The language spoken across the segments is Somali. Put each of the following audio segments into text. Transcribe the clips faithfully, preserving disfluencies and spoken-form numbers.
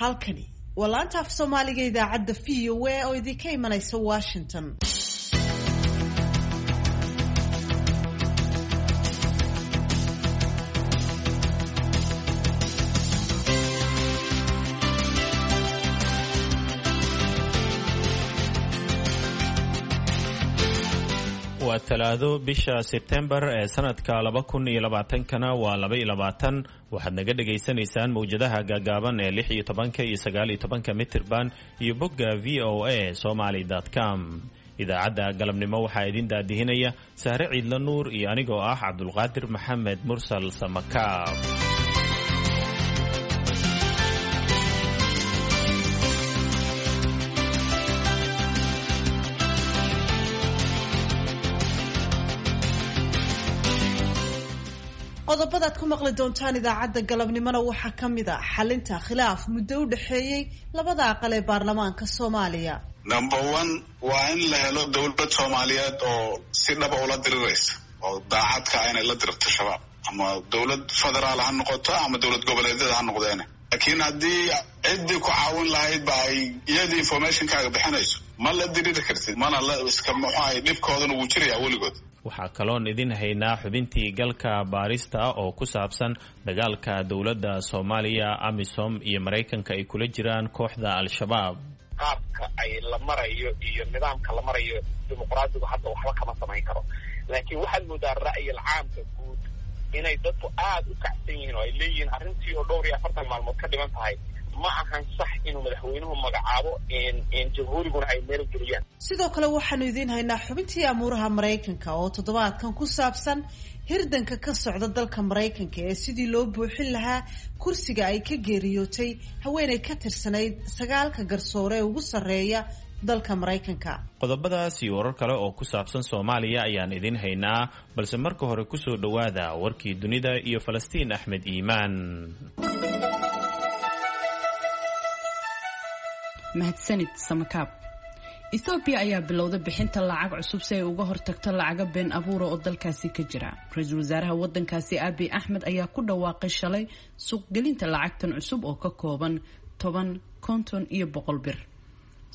Halkani waa laanta af Soomaaliga idaacadda V O A oo idinka imanaysa Washington. Waa talaado, bisha Sebtembar ee sanadka laba kun iyo labaatankana waa laba iyo labaatan. Waxaad naga dhagaysanaysaan mowjadaha gaagaaban ee lix iyo tobanka iyo sagaal iyo tobanka mitirban iyo bogga V O A Somaly com. Idaacadda galabnimo waxaa idin daadihinaya Sahre Ciidla Nuur iyo anigoo ah Cabdulqaadir Maxamed Mursal Samakaab. Qodobadaad ku maqli doontaan idaacadda galabnimona waxaa ka mid a xalinta khilaaf muddo u dhexeeyey labada aqal ee baarlamaanka Soomaaliya. Number one waa in la helo dowlad Soomaaliyeed oo si dhaba ula diriraysa oo daacadka inay la dirirto Shabaab, ama dowlad federaal ha noqoto ama dowlad goboleedyada ha noqdeene. Laakiin haddii ciddii ku caawin lahayd ba ay iyadii informationkaaga bixinayso, ma la diriri kartid, mana la iska muxuahay, dhibkoodana wuu jirayaa weligood. Waxaa kaloon idin haynaa xubintii galka baarista oo ku saabsan dagaalka dowladda Soomaaliya, AMISOM iyo Maraykanka ay kula jiraan kooxda Al-Shabaab. Qaabka ay la marayo iyo nidaamka la marayo dimuqraadigu hadda waxba kama samayn karo, laakiin waxaad moodaa ra'yil caamka guud inay dadku aada u kacsan yihiin oo ay leeyihiin arrintii oo dhowr iyo afartan maalmood ka dhiman tahay ma ahan sax inuu madaxweynuhu magacaabo, jamhuuriguna ay meel geliyaan. Sidoo kale waxaanu idiin haynaa xubintii amuuraha Maraykanka oo toddobaadkan ku saabsan hirdanka ka socda dalka Maraykanka ee sidii loo buuxin lahaa kursiga ay ka geeriyootay haweeney ka tirsanayd sagaalka garsoore ee ugu sarreeya dalka Maraykanka. Qodobadaas iyo warar kale oo ku saabsan Soomaaliya ayaan idiin haynaa, balse marka hore kusoo dhowaada warkii dunida iyo Falastiin Axmed Iimaan. Mahadsanid Samakaab. Ethoobiya ayaa bilowday bixinta lacag cusub si ay uga hortagto lacaga been abuura oo dalkaasi ka jira. Ra-iisul wasaaraha wadankaasi Abiy Axmed ayaa ku dhawaaqay shalay suuqgelinta lacagtan cusub oo ka kooban toban, konton iyo boqol bir.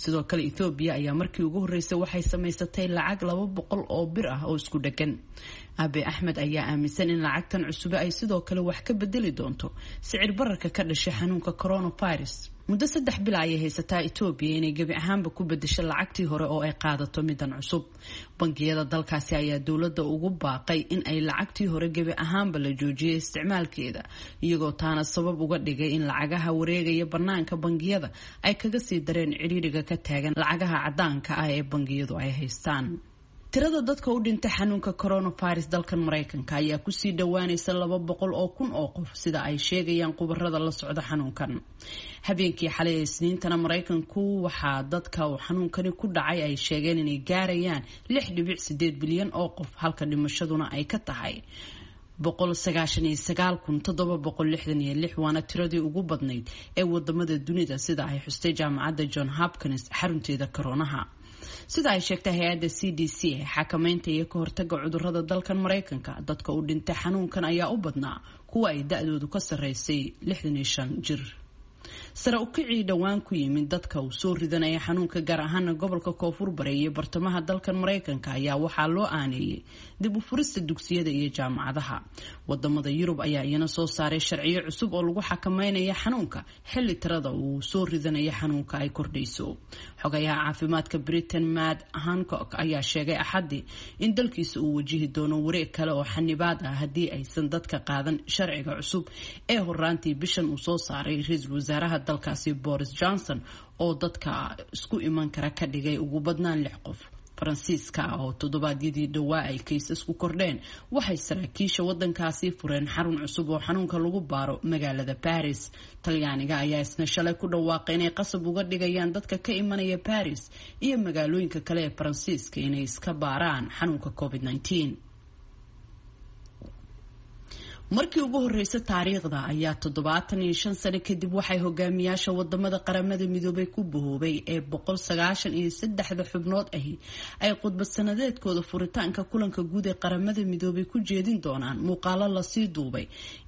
Sidoo kale Ethoobiya ayaa markii ugu horreysay waxay samaysatay lacag laba boqol oo bir ah oo isku dheggan. Abiy Axmed ayaa aaminsan in lacagtan cusube ay sidoo kale wax ka bedeli doonto sicir bararka ka dhashay xanuunka coronavirus. Muddo saddex bil ayay haysataa Etoobiya inay gebi ahaanba ku bedesho lacagtii hore oo ay qaadato midan cusub. Bangiyada dalkaasi ayaa dowladda ugu baaqay in ay lacagtii hore gebi ahaanba la joojiyay isticmaalkeeda, iyagoo taana sabab uga dhigay in lacagaha wareegaya bannaanka bangiyada ay kaga sii dareen cidhiidhiga ka taagan lacagaha caddaanka ah ee bangiyadu ay haystaan. Tirada dadka u dhintay xanuunka coronavirus dalkan Maraykanka ayaa kusii dhawaanaysa laba boqol oo kun oo qof, sida ay sheegayaan khubarada la socda xanuunkan. Habeenkii xalay ee Isniintana Maraykanku waxaa dadka uu xanuunkani ku dhacay ay sheegeen inay gaarayaan lix dhibic sideed bilyan oo qof, halka dhimashaduna ay ka tahay boqol sagaashan iyo sagaal kun toddoba boqol lixdan iyo lix, waana tiradii ugu badnayd ee wadamada dunida, sida ay xustay jaamacadda John Hopkins xarunteeda koroonaha. Sida ay sheegtay hay-adda C D C ee xakameynta iyo ka hortaga cudurada dalkan Maraykanka, dadka u dhintay xanuunkan ayaa u badnaa kuwa ay da-doodu ka sarreysay lixdan iyo shan jir. Sare u kicii dhowaan ku yimid dadka uu soo ridanaya xanuunka, gaar ahaana gobolka Koonfur Bare iyo bartamaha dalkan Maraykanka, ayaa waxaa loo aaneeyey dib u furista dugsiyada iyo jaamacadaha. Wadamada Yurub ayaa iyana soo saaray sharciyo cusub oo lagu xakameynaya xanuunka xilli tirada uu soo ridanaya xanuunka ay kordhayso. Xogayaha caafimaadka Britain Matt Hancock ayaa sheegay Axadii in dalkiisa uu wajihi doono wareeg kale oo xanibaad ah haddii aysan dadka qaadan sharciga cusub ee horaantii bishan uu soo saaray ra-iisul wasaaraha dalkaasi Boris Johnson oo dadka isku iman kara ka dhigay ugu badnaan lix qof. Faransiiska oo toddobaadyadii dhowaa ay kaysasku kordheen, waxay saraakiisha wadankaasi fureen xarun cusub oo xanuunka lagu baaro magaalada Baris. Talyaaniga ayaa isna shalay ku dhawaaqay inay qasab uga dhigayaan dadka ka imanaya Baris iyo magaalooyinka kale ee Faransiiska inay iska baaraan xanuunka covid nineteen. Markii ugu horreysay taariikhda ayaa toddobaatan iyo shan sano kadib waxay hogaamiyaasha wadamada Qaramada Midoobay ku bahoobay ee boqol sagaashan iyo saddexda xubnood ahi ay khudbad sanadeedkooda furitaanka kulanka guud ee Qaramada Midoobay ku jeedin doonaan muuqaalo lasii duubay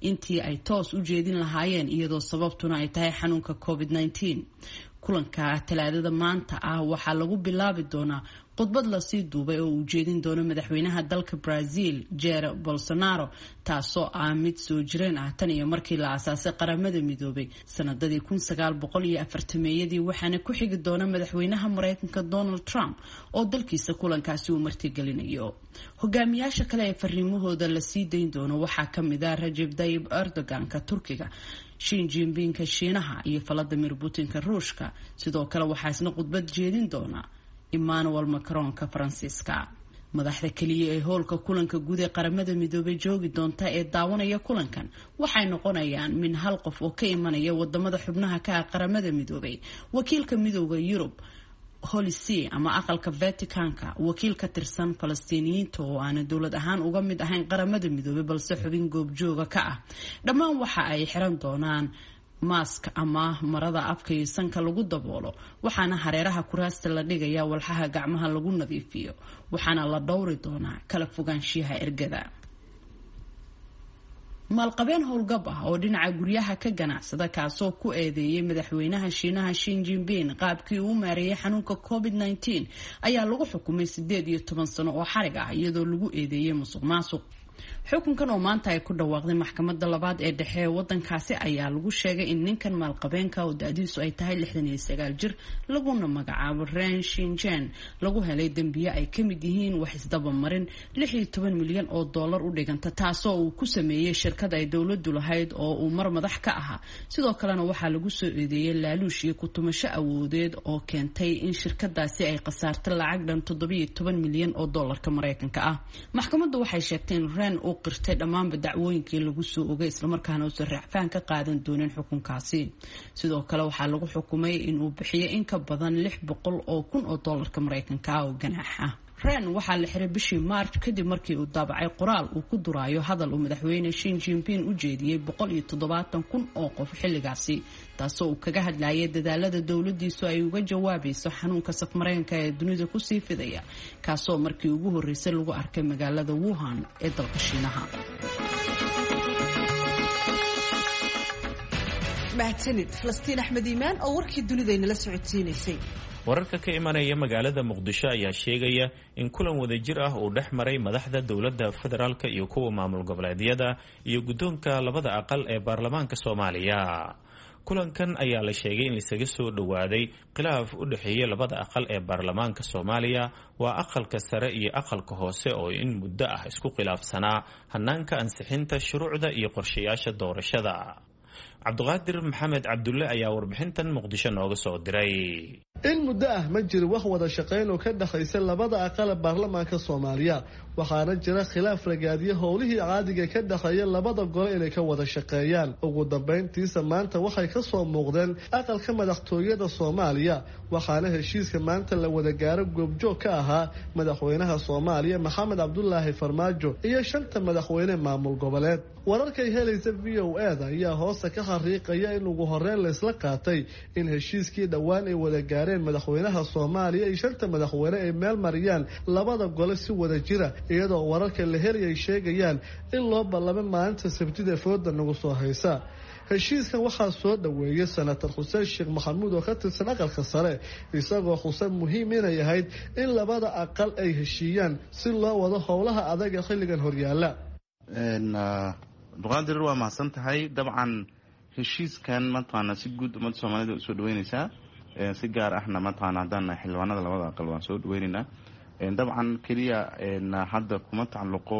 intii ay toos u jeedin lahaayeen, iyadoo sababtuna ay tahay xanuunka covid nineteen. Kulanka Talaadada maanta ah waxaa lagu bilaabi doonaa khudbad lasii duubay oo uu jeedin doono madaxweynaha dalka Brazil Jair Bolsonaro, taasoo ah mid soo jireen ah tan iyo markii la aasaasay Qaramada Midoobay sanadadii kun sagaal boqol iyo afartameeyadii, waxaana ku xigi doona madaxweynaha Mareykanka Donald Trump oo dalkiisa kulankaasi uu martigelinayo. Hogaamiyaasha kale ee fariimahooda lasii dayn doono waxaa kamid ah Rajeb Tayyip Erdogan-ka Turkiga, Xi Jinping-ka Shiinaha iyo Vladimir Putin-ka Ruushka. Sidoo kale waxaa isna khudbad jeedin doona Emmanuel Macron-ka Faransiiska. Madaxda keliya ee hoolka kulanka guud ee Qaramada Midoobay joogi doonta ee daawanaya kulankan waxay noqonayaan min hal qof oo ka imanaya wadamada xubnaha ka ah Qaramada Midoobay, wakiilka Midooda Yurub, Holy See ama aqalka Vaticanka, wakiil ka tirsan Falastiiniyiinta oo aana dowlad ahaan uga mid ahayn Qaramada Midoobay balse xubin goobjooga ka ah. Dhammaan waxa ay xiran doonaan maask ama marada afka iyo sanka lagu daboolo, waxaana hareeraha kuraasta la dhigaya walxaha gacmaha lagu nadiifiyo, waxaana la dhowri doonaa kala fogaanshiyaha ergada. Maalqabeen howlgab ah oo dhinaca guryaha ka ganacsada, kaasoo ku eedeeyay madaxweynaha Shiinaha Xi Jinping qaabkii uu maareeyay xanuunka covid nineteen, ayaa lagu xukumay sideed iyo toban sano oo xarig ah, iyadoo lagu eedeeyay musuq maasuq. Xukunkan oo maanta ay ku dhawaaqday maxkamadda labaad ee dhexe ee wadankaasi ayaa lagu sheegay in ninkan maalqabeenka oo da-diisu ay tahay lixdan iyo sagaal jir, laguna magacaabo Ren Shinjen, lagu helay dembiye ay ka mid yihiin wax isdabamarin lix iyo toban milyan oo dollar u dhiganta, taasoo uu ku sameeyey shirkad ay dowladdu lahayd oo uu mar madax ka ahaa. Sidoo kalena waxaa lagu soo eedeeyey laaluush iyo kutumasho awoodeed oo keentay in shirkadaasi ay khasaarto lacag dhan toddobiyo toban milyan oo dollarka Mareykanka ah. Maxkamaddu waxay sheegtay in Ren uu qirtay dhammaanba dacwooyinkii lagu soo ogay, islamarkaana uusan raacfaan ka qaadan doonin xukunkaasi. Sidoo kale waxaa lagu xukumay inuu bixiyay in ka badan lix boqol oo kun oo dollarka Mareykanka ah oo ganaax ah. Ren waxaa la xiray bishii March kadib markii uu daabacay qoraal uu ku duraayo hadal uu madaxweyne Xi Jinping u jeediyey boqol iyo toddobaatan kun oo qof xilligaasi, taasoo uu kaga hadlayay dadaalada dowladiisu ay uga jawaabayso xanuunka safmareenka ee dunida kusii fidaya, kaasoo markii ugu horreysay lagu arkay magaalada Wuhan ee dalka Shiinaha. Mahadsanid Falastiin Axmed Iimaan oo warkii dunida inala socodsiinaysay. Wararka ka imanaya magaalada Muqdisho ayaa sheegaya in kulan wadajir ah uu dhex maray madaxda dowladda federaalka iyo kuwa maamul goboleedyada iyo guddoonka labada aqal ee baarlamaanka Soomaaliya. Kulankan ayaa la sheegay in laisaga soo dhowaaday khilaaf u dhexeeya labada aqal ee baarlamaanka Soomaaliya, waa aqalka sare iyo aqalka hoose, oo in muddo ah isku khilaafsanaa hanaanka ansixinta shuruucda iyo qorshayaasha doorashada. Cabdiqaadir Maxamed Cabdulle ayaa warbixintan Muqdisho nooga soo diray. In muddo ah ma jiro wax wada shaqayn oo ka dhexaysa labada aqal baarlamaanka Soomaaliya, waxaana jira khilaaf ragaadiya howlihii caadiga ka dhexeeya labada gole inay ka wada shaqeeyaan. Ugu dambeyntiisa maanta waxay ka soo muuqdeen aqalka madaxtooyada Soomaaliya, waxaana heshiiska maanta la wada gaaro goobjoog ka ahaa madaxweynaha Soomaaliya Maxamed Cabdulaahi Farmaajo iyo shanta madaxweyne maamul goboleed. Wararkay helaysa V O A da ayaa hoosta ka xariiqaya in ugu horeyn la isla qaatay in heshiiskii dhowaan ay wada gaareen madaxweynaha Soomaaliya iyo shanta madaxweyne ay meel mariyaan labada gole si wada jira, iyadoo wararka la helay ay sheegayaan in loo ballamay maalinta Sabtida fooda nagu soo haysa. Heshiiskan waxaa soo dhoweeyay Senator Xuseen Sheekh Maxamuud oo ka tirsan aqalka sare, isagoo xuseen muhiim inay ahayd in labada aqal ay heshiiyaan si loo wado howlaha adag ee xilligan horyaala. Abduqaadir, waa mahadsan tahay. Dabcan heshiiskan mataqaana si guud ummadda Soomaalida usoo dhaweyneysaa, si gaar ahna mataqaana haddaan nahay xildhibaanada labada aqal waan soo dhaweyneynaa. Dabcan keliya hadda kuma tacalluqo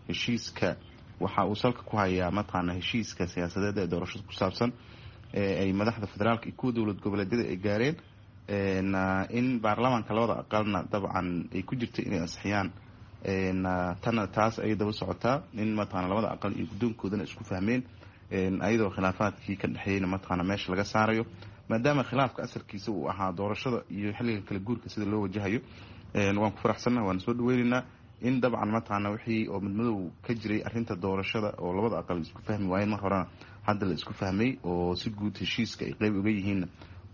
heshiiska, waxa uu salka ku hayaa mataqaana heshiiska siyaasadeed ee doorashada ku saabsan ay madaxda federaalka iyo kuwa dowlad goboleedyada ay gaareen, in baarlamaanka labada aqalna dabcan ay ku jirta inay ansixiyaan. Tana taas ayay daba socotaa in mataqaana labada aqal iyo guddoonkoodana isku fahmeen, ayadoo khilaafaadkii ka dhexeeyeyna mataqaana meesha laga saarayo, maadaama khilaafka asalkiisa uu ahaa doorashada iyo xilliga kala guurka sida loo wajahayo. Waan ku faraxsannaha, waan soo dhaweyneynaa In dabcan mataqaana wixii oo midmadow ka jiray arrinta doorashada oo labada aqal isku fahmi waayeen mar horena hadda la isku fahmay oo si guud heshiiska ay qeyb uga yihiinna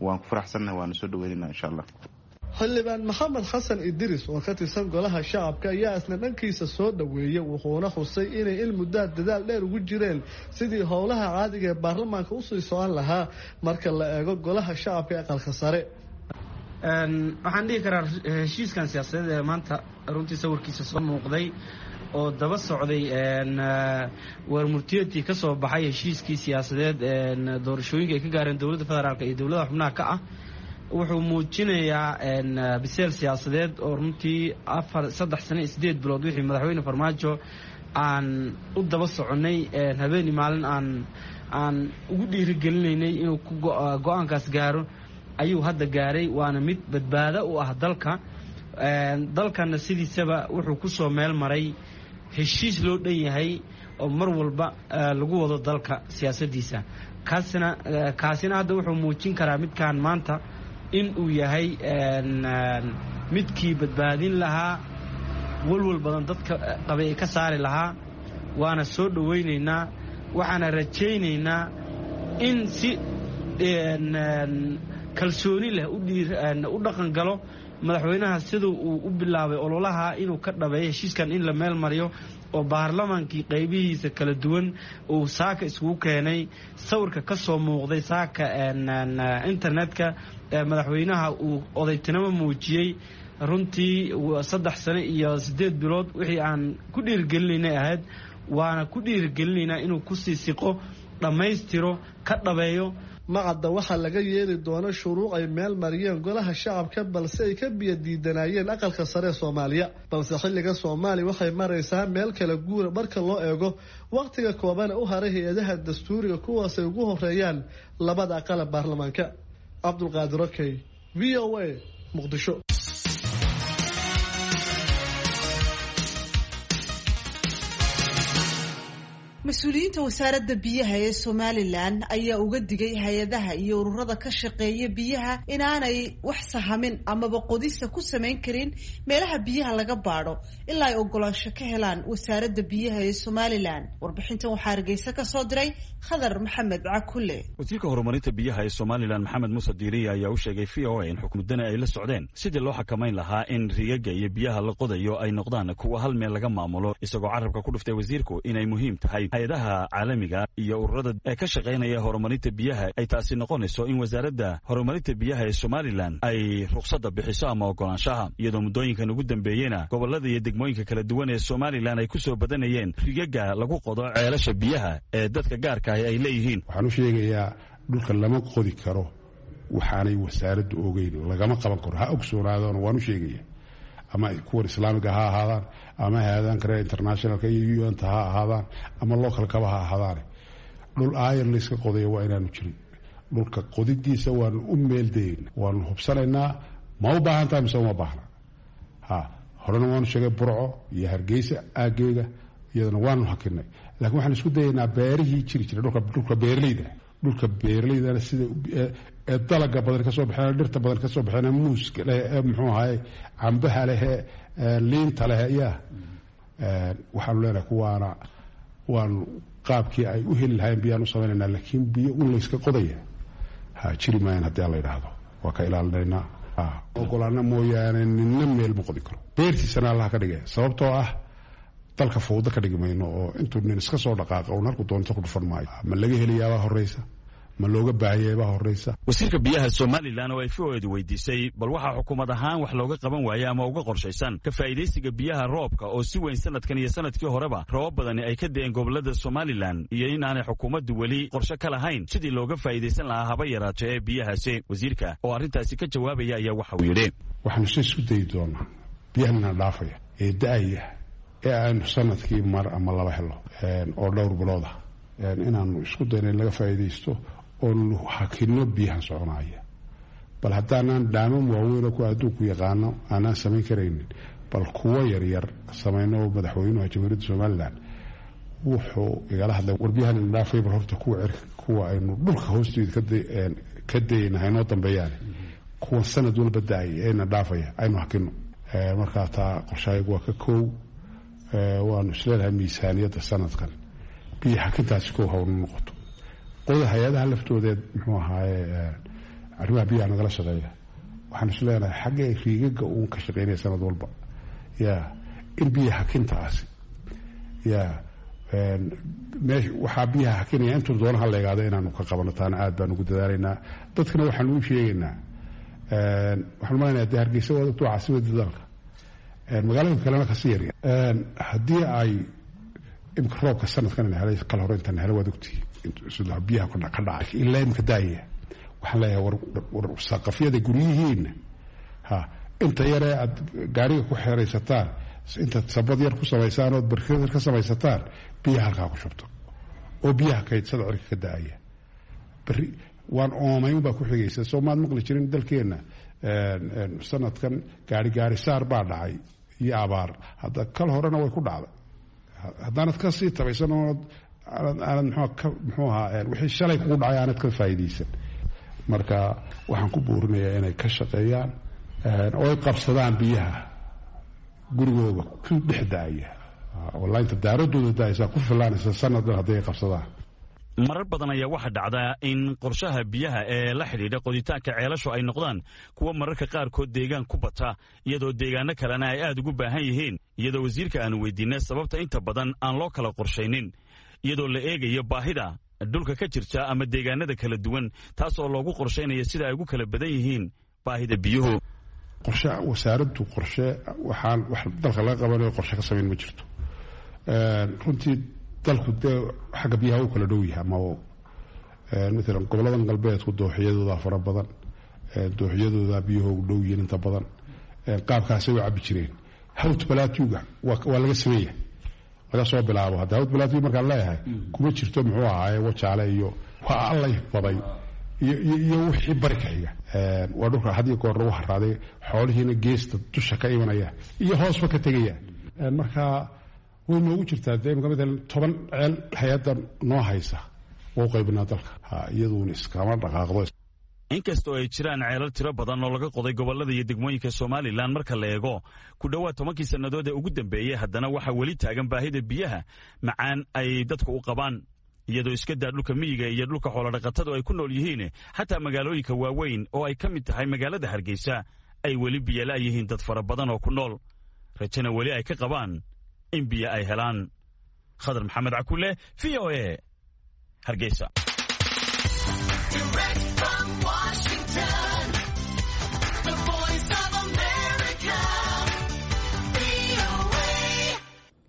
waan ku faraxsannahay, waana soo dhaweynayna insha allah. Xildhibaan Maxamed Xasan Idris oo ka tirsan golaha shacabka ayaa isna dhankiisa soo dhoweeyey, wuxuuna xusay inay il muddaa dadaal dheer ugu jireen sidii howlaha caadiga ee baarlamaanka usii socon lahaa marka la eego golaha shacabka ee aqalka sare. Waxaan dhihi karaa heshiiskan siyaasadeed ee maanta runtii sawirkiisa soo muuqday oo daba socday warmurtiyeedkii ka soo baxay heshiiskii siyaasadeed doorashooyinka ay ka gaareen dowladda federaalk iyo dowladaha xubnaha ka ah, wuxuu muujinayaa biseel siyaasadeed oo runtii afar saddex sano iyo sideed bilood wixii madaxweyne Farmaajo aan u daba soconnay, habeeni maalin aan aan ugu dhiirigelinaynay inuu ku go-aankaas gaaro ayuu hadda gaaray. Waana mid badbaado u ah dalka. Dalkanna sidiisaba wuxuu ku soo meel maray heshiis loo dhan yahay oo mar walba lagu wado dalka siyaasaddiisa. Kaasina kaasina hadda wuxuu muujin karaa midkaan maanta in uu yahay midkii badbaadin lahaa, walwal badan dadka qabay ka saari lahaa. Waana soo dhowaynaynaa, waxaana rajaynaynaa in si kalsooni leh u dhaqan galo madaxweynaha siduu uu u bilaabay ololaha inuu ka dhabeeyo heshiiskan in la meel mariyo oo baarlamaankii qaybihiisa kala duwan uu saaka iskugu keenay. Sawirka ka soo muuqday saaka internetka madaxweynaha uu odaytinimo muujiyey runtii saddex sano iyo sideed bilood wixii aan ku dhiirigelinaynay ahayd, waana ku dhiirigelinaynaa inuu kusii siqo, dhammaystiro, ka dhabeeyo. Macadda waxaa laga yeeli doono shuruuc ay meel mariyeen golaha shacabka balse ay ka biyo diidanaayeen aqalka sare ee Soomaaliya. Balse xilliga Soomaaliya waxay maraysaa meel kala guura marka loo eego wakhtiga kooban u haray hay-adaha dastuuriga kuwaasay ugu horeeyaan labada aqal ee baarlamaanka. Cabdulqaadir Okey, V O A, Muqdisho. Mas-uuliyiinta wasaaradda biyaha ee Somalilan ayaa uga digay hay-adaha iyo ururada ka shaqeeya biyaha inaanay wax sahamin amaba qodista ku samayn karin meelaha biyaha laga baadho ilaa ay ogolaansho ka helaan wasaaradda biyaha ee Somalilan. Warbixintan waxaa Hargeysa ka soo diray Khadar Maxamed Cakule. Wasiirka horumarinta biyaha ee Somalilan Maxamed Muuse Diiriye ayaa u sheegay V O A in xukmuddana ay la socdeen sidii loo xakamayn lahaa in riigagga iyo biyaha la qodayo ay noqdaan kuwa hal meel laga maamulo, isagoo carabka ku dhuftay wasiirku inay muhiim tahay hay-adaha caalamiga iyo ururada ee ka shaqaynaya horumarinta biyaha ay taasi noqonayso in wasaaradda horumarinta biyaha ee Somalilan ay ruqsadda bixiso ama ogolaanshaha, iyadoo muddooyinkan ugu dambeeyena gobollada iyo degmooyinka kala duwan ee Somalilan ay ku soo badanayeen rigaga lagu qodo ceelasha biyaha ee dadka gaarka ahi ay leeyihiin. Waxaan u sheegayaa dhulka lama qodi karo waxaanay wasaaraddu ogeyn, lagama qaban karo, ha ogsoonaadona waan u sheegaya. Ama kuwan islaamiga ha ahaadaan, ama hay-adahan kale internationalka iyo U N-ta ha ahaadaan, ama localkaba ha ahaadaane, dhul aayar layska qodayo waa inaanu jirin. Dhulka qodidiisa waanu u meeldayeyna, waanu hubsanaynaa ma u baahan tahay mise uma baahna. Ha horena waanu sheegay Burco iyo Hargeysa aageega iyadana waanu hakinay, laakiin waxaan isku dayaynaa beerihii jiri jiray dhulka dhulka beeraleyda dhulka beeraleydana sida ee dalaga badan ka soo baxeen, dhirta badan ka soo baxeen, muuska leh ee muxuu ahaye cambaha leh ee liinta leh, yaa waxaanu leenahay kuwaana waanu qaabkii ay u heli lahayn biyaan u samaynaynaa, laakiin biyo un layska qodaya ha jiri maayaan haddii aan la yidhaahdo. Waa ka ilaalinaynaa, ogolaana mooyaane ninna meel ma qodi karo, beertiisana allaha ka dhigaya, sababtoo ah dalka fawdo ka dhigi mayno oo intuu nin iska soo dhaqaaqa uun halku doonto ku dhufan maayo. Ma laga helayaabaa horreysa, ma looga baahanyay baa horreysa. Wasiirka biyaha Somalilan oo ay V O edu weydiisay bal waxaa xukuumad ahaan wax looga qaban waaya ama uga qorshaysan ka faa'iidaysiga biyaha roobka oo si weyn sanadkan iyo sanadkii horeba roobab badani ay ka da'een gobollada Somalilan, iyo in aanay xukuumaddu weli qorshe ka lahayn sidii looga faa'iidaysan lahaa haba yaraato ee biyahaasi, wasiirka oo arrintaasi ka jawaabaya ayaa waxa uu yidhi: Waxaanu se isku dayi doonaa biyahanna dhaafaya ee da'aya ee aanu sanadkii mar ama laba helo oo dhowr bilood ah inaanu isku dayno in laga faa'iidaysto oonu hakino biyahan soconaya. Bal haddaanaan dhaamam waaweyn oo kuwa adduunku yaqaano aanaan samayn karaynin, bal kuwo yaryar samayno. Madaxweynuha Jamhuuriyadda Somalilan wuxuu igala hadlay war biyahan ina dhaafay bal horta kuwa cirka kuwa aynu dhulka hoosteeda ka dayayna haynoo dambeeyaane, kuwa sanad walba da-ay ee ina dhaafaya aynu hakino. Markaa taa qorshahayagu waa ka koow. Waanu isleenahay miisaaniyadda sanadkan biyo xakintaasi kow hawna noqoto. Qoda hay-adaha laftoodeed muxuu ahaaye arrimaha biyaha nagala shaqeeya, waxaanu isleenahay xaggee riigaga uun ka shaqeynaya sanad walba ya in biyo xakintaasi ya meesha waxaa biyaha xakinaya intuu doona ha leegaado inaanu ka qabano, taana aad baan ugu dadaalaynaa. Dadkana waxaanu u sheegaynaa, waxaan malaynayaa dee Hargeysa waa dadku caasimadda dalka, magaalooyinka kalena kasii yarya. Haddii ay imika roobka sanadkan ina helay kal hore intaan helay waad ogtihi sida biyaha ka dhacay ilaa imika daaya. Waxaan leeyahay war saqafyada guryihiina ha inta yaree aad gaariga ku xeraysataan, intaad sabad yar ku samaysaan ood barkad yar ka samaysataan, biyaha halkaa ku shubto oo biyaha kaydsada cirka ka da-aya. Beri waan oomayn baa ku xigaysa. Soo maad maqli jirin dalkeenna sanadkan gaari gaari saar baa dhacay iyo abaar, hadda kal horena way ku dhacday. Haddaanad ka sii tabaysan oonad aanad mxuu muxuu ahaa wixii shalay kugu dhacay aanad ka faa'iidaysan. Marka waxaan ku buurinayaa inay ka shaqeeyaan oo ay qabsadaan biyaha gurigooda ku dhex daaya oo laynta daaradooda daaysa ku filaanaysa sanaddan hadday ay qabsadaan. Marar badan ayaa waxaa dhacda in qorshaha biyaha ee la xidhiidha qoditaanka ceelashu ay noqdaan kuwa mararka qaarkood deegaan ku bata, iyadoo deegaano kalena ay aad ugu baahan yihiin, iyadoo wasiirka aanu weydiinay sababta inta badan aan loo kala qorshaynin iyadoo la eegayo baahida dhulka ka jirta ama deegaanada kala duwan, taas oo loogu qorshaynaya sida ay ugu kala badan yihiin baahida biyuhu. Qorshe wasaaraddu qorshe waxaan wax dalka laga qabanayo qorshe ka samayn ma jirto. Runtii dalku dee xagga biyaha u kala dhow yahay ama maalan goboladan galbeedku dooxiyadoodaa fara badan, dooxiyadoodaa biyahoogu dhow yihiin inta badan, qaabkaasay u cabbi jireen. Hawt balaatiuga waa laga sameeya laga soo bilaabo. Hadda hawt balaatiuga markaan leeyahay kuma jirto muxuu ahaaye wajaale iyo waa allay baday iyo wixii bari ka xiga. Waa dhulka had iyo goor lagu haraaday, xoolihiina geesta dusha ka imanaya iyo hoosba ka tegaya. Marka way noogu jirtaa dee imika maalan toban ceel hay-adda noo haysa wau qaybinaa dalka, iyaduuna iskama dhaqaaqdo. Inkastoo ay jiraan ceelal tiro badan oo laga qoday gobollada iyo degmooyinka Somalilan marka la eego ku dhowaad tobankii sannadood ee ugu dambeeyey, haddana waxaa weli taagan baahida biyaha macaan ay dadku u qabaan, iyadoo iska daa dhulka miyiga iyo dhulka xoolodhaqatadu ay ku nool yihiin, xataa magaalooyinka waaweyn oo ay ka mid tahay magaalada Hargeysa ay weli biyala yihiin dad fara badan oo ku nool, rajana weli ay ka qabaan in biyo ay helaan. Khadar Maxamed Cakule, V O A, Hargeysa.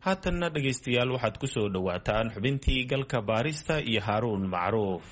Haatanna dhegaystayaal waxaad ku soo dhowaataan xubintii galka baarista iyo Haaruun Macruuf.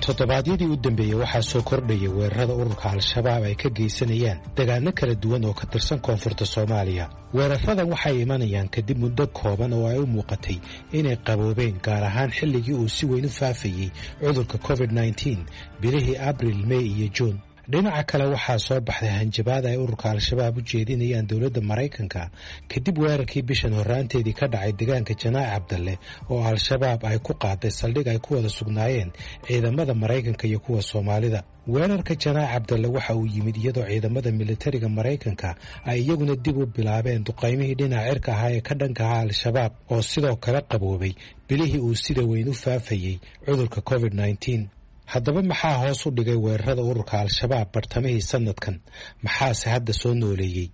Toddobaadyadii u dambeeyey waxaa soo kordhayay weerarada ururka Al-Shabaab ay ka geysanayaan degaano kala duwan oo ka tirsan koonfurta Soomaaliya. Weeraradan waxay imanayaan kadib muddo kooban oo ay u muuqatay inay qaboobeen, gaar ahaan xilligii uu si weyn u faafayey cudurka covid nineteen bilihii Abril, May iyo Juun. Dhinaca kale waxaa soo baxday hanjabaad ay ururka Al-Shabaab u jeedinayaan dowladda Maraykanka kadib weerarkii bishan horraanteedii ka dhacay deegaanka Janaac Cabdalle oo Al-Shabaab ay ku qaaday saldhig ay ku wada sugnaayeen ciidamada Maraykanka iyo kuwa Soomaalida. Weerarka Janaac Cabdalle waxa uu yimid iyadoo ciidamada militariga Maraykanka ay iyaguna dib u bilaabeen duqaymihii dhinaca cirka ahaa ee ka dhanka ahaa Al-Shabaab oo sidoo kale qaboobay bilihii uu sida weyn u faafayey cudurka covid nineteen. Haddaba maxaa hoos u dhigay weerarada ururka Al-Shabaab bartamihii sanadkan? Maxaase hadda soo nooleeyey?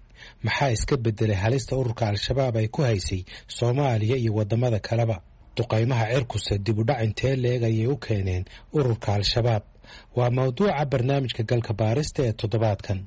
Maxaa iska beddelay halista ururka Al-Shabaab ay ku haysay Soomaaliya iyo waddamada kaleba? Duqaymaha cirkuse dib u dhac intee leeg ayay u keeneen ururka Al-Shabaab? Waa mawduuca barnaamijka galka baarista ee toddobaadkan.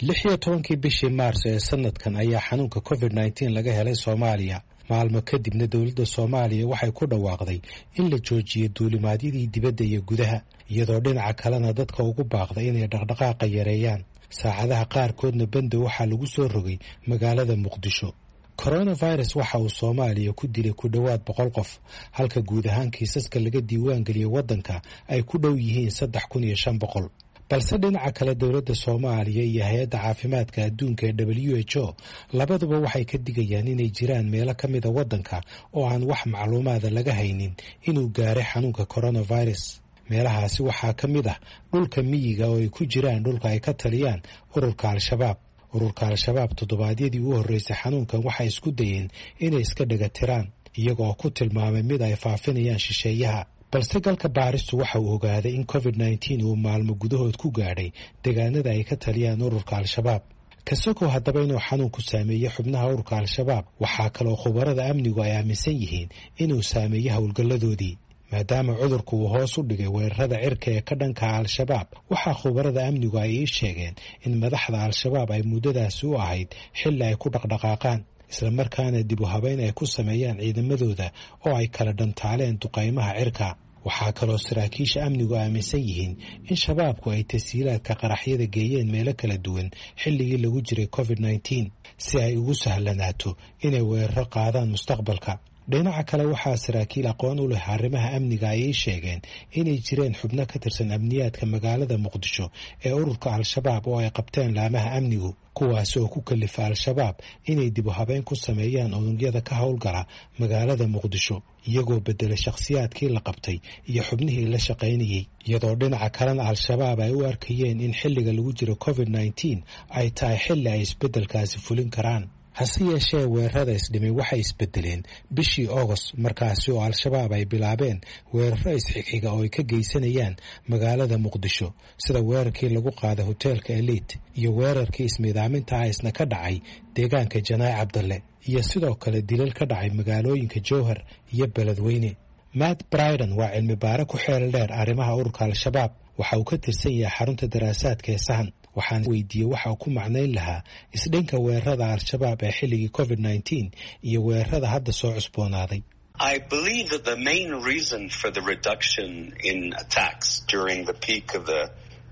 Lix iyo tobankii bishii Maarso ee sanadkan ayaa xanuunka covid nineteen laga helay Soomaaliya. Maalmo kadibna dowladda Soomaaliya waxay ku dhawaaqday in la joojiyo duulimaadyadii dibadda iyo gudaha, iyadoo dhinaca kalena dadka ugu baaqday inay dhaqdhaqaaqa yareeyaan. Saacadaha qaarkoodna banda waxaa lagu soo rogay magaalada Muqdisho. Coronavirus waxa uu Soomaaliya ku dilay ku dhowaad boqol qof, halka guud ahaan kiisaska laga diiwaangeliyey waddanka ay ku dhow yihiin saddex kun iyo shan boqol. Balse dhinaca kale, dowladda Soomaaliya iyo Hay-adda Caafimaadka Adduunka ee W H O labaduba waxay ka digayaan inay jiraan meelo ka mida waddanka oo aan wax macluumaada laga haynin inuu gaaray xanuunka coronavirus. Meelahaasi waxaa ka mid ah dhulka miyiga oo ay ku jiraan dhulka ay ka taliyaan ururka Al-Shabaab. Ururka Al-Shabaab toddobaadyadii u horreysay xanuunkan waxay isku dayeen inay iska dhega tiraan, iyagoo ku tilmaamay mid ay faafinayaan shisheeyaha. Balse galka baaristu waxa uu ogaaday in covid nineteen uu maalmo gudahood ku gaadhay deegaanada ay ka taliyaan ururka Al-Shabaab. Kasokow haddaba inuu xanuunku saameeyey xubnaha ururka Al-Shabaab, waxaa kaloo khubarada amnigu ay aaminsan yihiin inuu saameeyey howlgalladoodii, maadaama cudurku uu hoos u dhigay weerarada cirka ee ka dhanka Al-Shabaab. Waxaa khubarada amnigu ay ii sheegeen in madaxda Al-Shabaab ay muddadaasi u ahayd xilli ay ku dhaqdhaqaaqaan, islamarkaana dib u habeyn ay ku sameeyaan ciidamadooda oo ay kala dhantaaleen duqaymaha cirka. Waxaa kaloo saraakiisha amnigu aaminsan yihiin in Shabaabku ay tashiilaadka qaraxyada geeyeen meelo kala duwan xilligii lagu jiray covid nineteen, si ay ugu sahlanaato inay weeraro qaadaan mustaqbalka. Dhinaca kale, waxaa saraakiil aqoon u leh arrimaha amniga ay ii sheegeen inay jireen xubno ka tirsan amniyaadka magaalada Muqdisho ee ururka Al-Shabaab oo ay qabteen laamaha amnigu, kuwaasi oo ku kalifa Al-Shabaab inay dib u habeyn ku sameeyaan unugyada ka howlgala magaalada Muqdisho, iyagoo bedelay shakhsiyaadkii la qabtay iyo xubnihii la shaqaynayey, iyadoo dhinaca kalena Al-Shabaab ay u arkayeen in xilliga lagu jiro covid nineteen ay tahay xilli ay isbeddelkaasi fulin karaan. Hase yeeshee, weerarada isdhimay waxay isbedeleen bishii Agost, markaasi oo Al-Shabaab ay bilaabeen weeraro isxigxiga oo ay ka geysanayaan magaalada Muqdisho, sida weerarkii lagu qaaday hoteelka Elite iyo weerarkii ismiidaaminta ah isna ka dhacay deegaanka Janaay Cabdalle, iyo sidoo kale dilal ka dhacay magaalooyinka Jowhar iyo Beledweyne. Matt Bryden waa cilmi baare ku xeel dheer arrimaha ururka Al-Shabaab. Waxa uu ka tirsan yahay xarunta daraasaadka ee Sahan. Waxaan weydiiyey waxa uu ku macnayn lahaa isdhinka weerarada Al-Shabaab ee xilligii covid nineteen iyo weerarada hadda soo cusboonaaday. I believe that the main reason for the reduction in attacks during the peak of the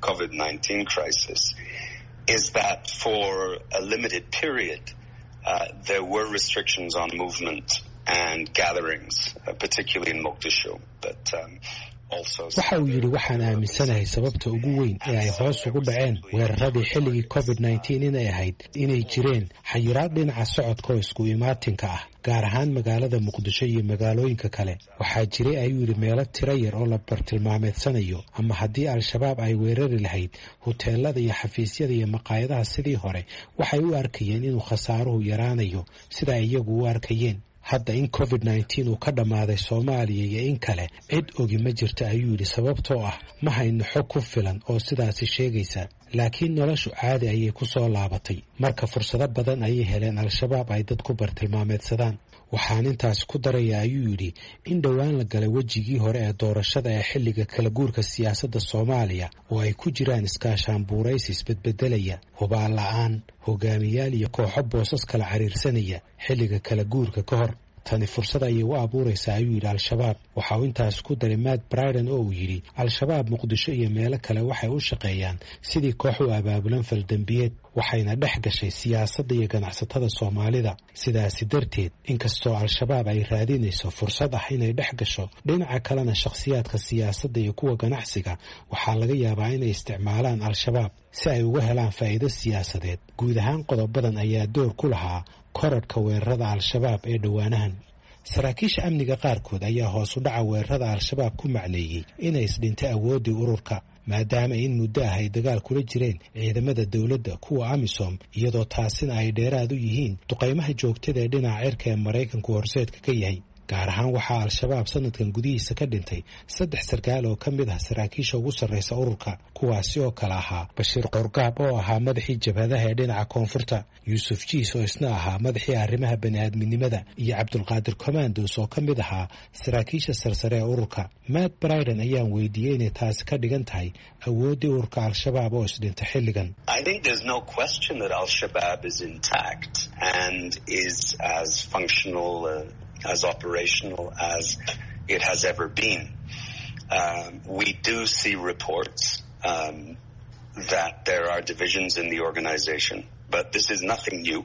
COVID nineteen crisis is that for a limited period uh, there were restrictions on movement and gatherings, uh, particularly in Mogadishu. But um, Waxa uu yidhi: "Waxaan aaminsanahay sababta ugu weyn ee ay hoos ugu dhaceen weeraradii xilligii covid nineteen inay ahayd inay jireen xayiraad dhinaca socodka oo isku imaatinka ah, gaar ahaan magaalada Muqdisho iyo magaalooyinka kale. Waxaa jiray," ayuu yidhi, "meelo tiro yar oo la bartilmaameedsanayo, ama haddii Al-Shabaab ay weerari lahayd huteelada iyo xafiisyada iyo maqaayadaha sidii hore, waxay u arkayeen inuu khasaaruhu yaraanayo sida ay iyagu u arkayeen. Hadda in covid nineteen uu ka dhammaaday Soomaaliya iyo in kale cid ogi ma jirta," ayuu yidhi, "sababtoo ah ma hayno xog ku filan oo sidaasi sheegaysa. Laakiin noloshu caadi ayay ku soo laabatay, marka fursado badan ayay heleen Al-Shabaab ay dad ku bartilmaameedsadaan. Waxaan intaas ku daraya," ayuu yidhi, "in dhowaan la galay wejigii hore ee doorashada ee xilliga kala guurka siyaasadda Soomaaliya, oo ay ku jiraan iskaashaanbuuraysi isbedbedelaya, hubaal la-aan hogaamiyaal iyo kooxo boosas kala cariirsanaya xilliga kala guurka ka hor. Tani fursad ayay u abuuraysaa," ayuu yidhi, "Al-Shabaab." Waxa uu intaas ku daray Matt Bryden oo uu yidhi Al-Shabaab Muqdisho iyo meelo kale waxay u shaqeeyaan sidii koox u abaabulan faldembiyeed, waxayna dhex gashay siyaasadda iyo ganacsatada Soomaalida. Sidaasi darteed, inkastoo Al-Shabaab ay raadinayso fursad ah inay dhex gasho, dhinaca kalena shakhsiyaadka siyaasadda iyo kuwa ganacsiga waxaa laga yaabaa inay isticmaalaan Al-Shabaab si ay uga helaan faa'iido siyaasadeed. Guud ahaan, qodobadan ayaa door ku lahaa korodhka weerarada Al-Shabaab ee dhowaanahan. Saraakiisha amniga qaarkood ayaa hoos u dhaca weerarada Al-Shabaab ku macneeyey inay isdhintay awooddii ururka, maadaama in muddo ah ay dagaal kula jireen ciidamada dowladda, kuwa AMISOM, iyadoo taasina ay dheeraad u yihiin duqaymaha joogtada ee dhinaca cirka ee Maraykanku horseedka ka yahay. Gaar ahaan waxaa Al-Shabaab sanadkan gudihiisa ka dhintay saddex sarkaal oo ka mid ah saraakiisha ugu sarraysa ururka, kuwaasi oo kale ahaa Bashiir Qorgaab oo ahaa madaxii jabhadaha ee dhinaca koonfurta, Yuusuf Jiis oo isna ahaa madaxii arrimaha bani-aadminimada, iyo Cabdulqaadir Commandos oo ka mid ahaa saraakiisha sarsare ee ururka. Matt Bryden ayaan weydiiyey inay taasi ka dhigan tahay awooddii ururka Al-Shabaab oo isdhinta xilligan. I think there's no question that Al-Shabaab is intact and is as functional, uh, as operational as it has ever been. Um, we do see reports um, that there are divisions in the organization, but this is nothing new.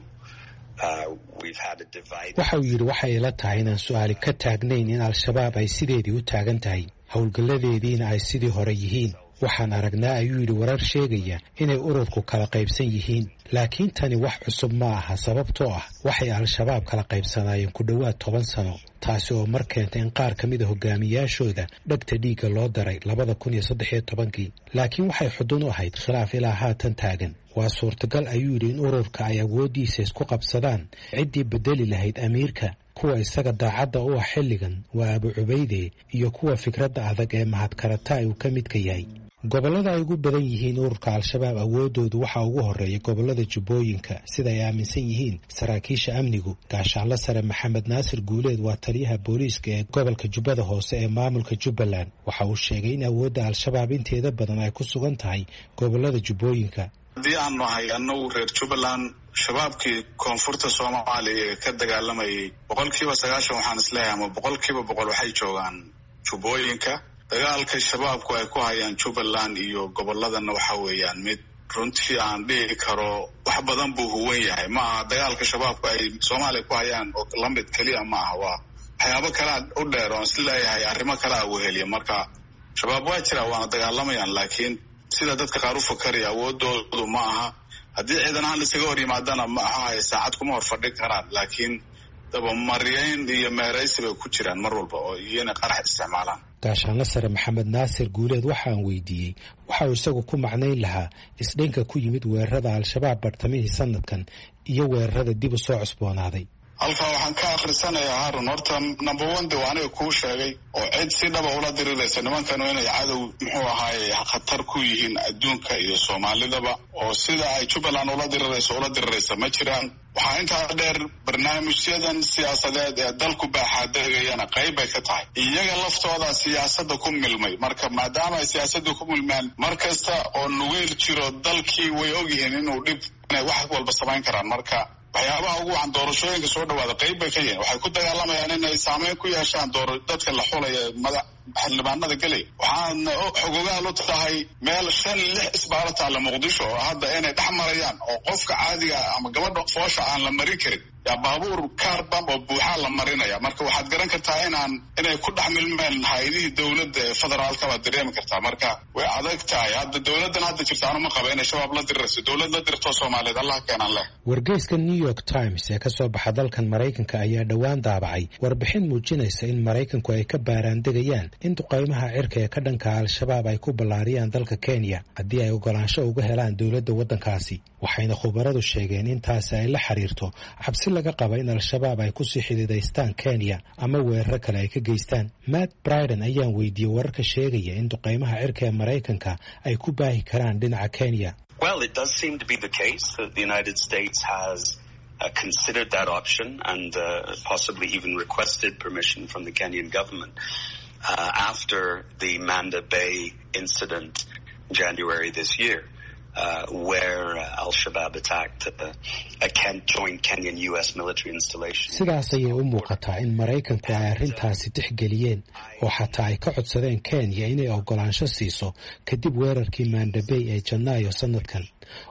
Waxa uu yidhi: "Waxay ila tahay inaan su-aali ka taagnayn in Al-Shabaab ay sideedii u taagan tahay, howlgalladeediina ay sidii hore yihiin. Waxaan aragnaa, ayuu yidhi, warar sheegaya inay ururku kala qaybsan yihiin, laakiin tani wax cusub ma aha, sababtoo ah waxay Al-Shabaab kala qaybsanaayeen ku dhowaad toban sano, taasi oo mar keentay in qaar ka mida hogaamiyaashooda dhegta dhiigga loo daray labada kun iyo saddex iyo tobankii, laakiin waxay xudun u ahayd khilaaf ilaa haatan taagan. Waa suurtagal, ayuu yidhi, in ururka ay awooddiisa isku qabsadaan ciddii bedeli lahayd amiirka. Kuwa isaga daacadda u ah xilligan waa Abu Cubayde iyo kuwa fikradda adag ee Mahadkarataay uu ka midka yahay. Gobollada ay ugu badan yihiin ururka Al-Shabaab awooddoodu waxaa ugu horreeya gobollada Jubbooyinka, sida ay aaminsan yihiin saraakiisha amnigu. Gaashaanle Sare Maxamed Naasir Guuleed waa taliyaha booliiska ee gobolka Jubbada Hoose ee maamulka Jubbaland. Waxa uu sheegay in awoodda Al-Shabaab inteeda badan ay ku sugan tahay gobollada Jubbooyinka. Haddii aan nahay annagu reer Jubbaland, Shabaabkii koonfurta Soomaaliya ee ka dagaalamayay boqolkiiba sagaashan waxaan isleeyahay ama boqolkiiba boqol waxay joogaan Jubbooyinka. Dagaalka Shabaabku ay ku hayaan Jubbaland iyo gobolladana waxa weeyaan mid runtii aan dhihi karo wax badan buu huwan yahay. Ma aha dagaalka Shabaabku ay Soomaaliya ku hayaan oo lamid keliya ma aha, waa waxyaabo kalea u dheer oon isleeyahay arrimo kalea weheliya. Marka Shabaab waa jiraa, waana dagaalamayaan, laakiin sida dadka qaar u fakaraya awoodoodu ma aha. Haddii ciidan ahaan laisaga hor yimaadana ma ahahay saacad kuma hor fadhin karaan, laakiin dabamaryayn iyo meeraysi bay ku jiraan mar walba oo iyona qarax isticmaalaan. Gaashaanle Sare Maxamed Naasir Guuleed waxaan weydiiyey waxa uu isagu ku macnayn lahaa isdhinka ku yimid weerarada Al-Shabaab bartamihii sanadkan iyo weerarada dib u soo cusboonaaday. Halkaa waxaan ka akhrisanayaa, Haarun, horta number one de waa aniga kuu sheegay oo cid si dhaba ula diriraysa nimankanu inay cadow muxuu ahaaye khatar ku yihiin adduunka iyo Soomaalidaba, oo sida ay Jubbaland ula dirirayso ula diriraysa ma jiraan. Waxaa intaa dheer, barnaamijyadan siyaasadeed ee dalku baaxaadegayana qayb bay ka tahay. Iyaga laftooda siyaasadda ku milmay. Marka maadaama ay siyaasadda ku milmeen, mar kasta oo nugeyl jiro dalkii way ogyihiin inuu dhib inay wax walba samayn karaan. Marka waxyaabaha ugu wacan doorashooyinka soo dhawaada qayb bay ka yihiin. Waxay ku dagaalamayaan inay saameyn ku yeeshaan door dadka la xulaya mada xildhibaanada gelaya. Waxaana xogogaal u tahay meel shan lix isbaaro taalla Muqdisho oo hadda inay dhex marayaan oo qofka caadiga ama gabadha foosha aan la marin karin, yaa baabuur kaarbam oo buuxaa la marinaya. Marka waxaad garan kartaa inaan inay ku dhex milmeen hay-adihii dowladda ee federaalka baad dareemi kartaa. Marka way adag tahay hadda dowladdan hadda jirta anuma qaba inay Shabaab la dirirayso. Dowlad la dirto Soomaaliyeed Allah keenan leh. Wargeyska New York Times ee ka soo baxa dalkan Maraykanka ayaa dhowaan daabacay warbixin muujinaysa in Maraykanku ay ka baaraandegayaan in duqaymaha cirka ee ka dhanka Al-Shabaab ay ku ballaariyaan dalka Kenya haddii ay ogolaansho uga helaan dowladda waddankaasi. Waxayna khubaradu sheegeen in taasi ay la xiriirto cabsi laga qaba in Al-Shabaab ay kusii xidiidaystaan Kenya ama weeraro kale ay ka geystaan. Matt Briden ayaan weydiiyey wararka sheegaya in duqaymaha cirka ee Maraykanka ay ku baahi karaan dhinaca Kenya. Well, it does seem to be the case that the United States has uh, considered that option and uh, possibly even requested permission from the Kenyan government uh, after the Manda Bay incident in January this year, Uh, where uh, Al-Shabaab attacked uh, a Ken joint Kenyan-U S military installation. Sidaas ayay u muuqataa in Maraykanku ay arrintaasi tixgeliyeen oo xataa ay ka codsadeen Kenya inay oggolaansho siiso kadib weerarkii Manda Bay ee Janaayo sanadkan,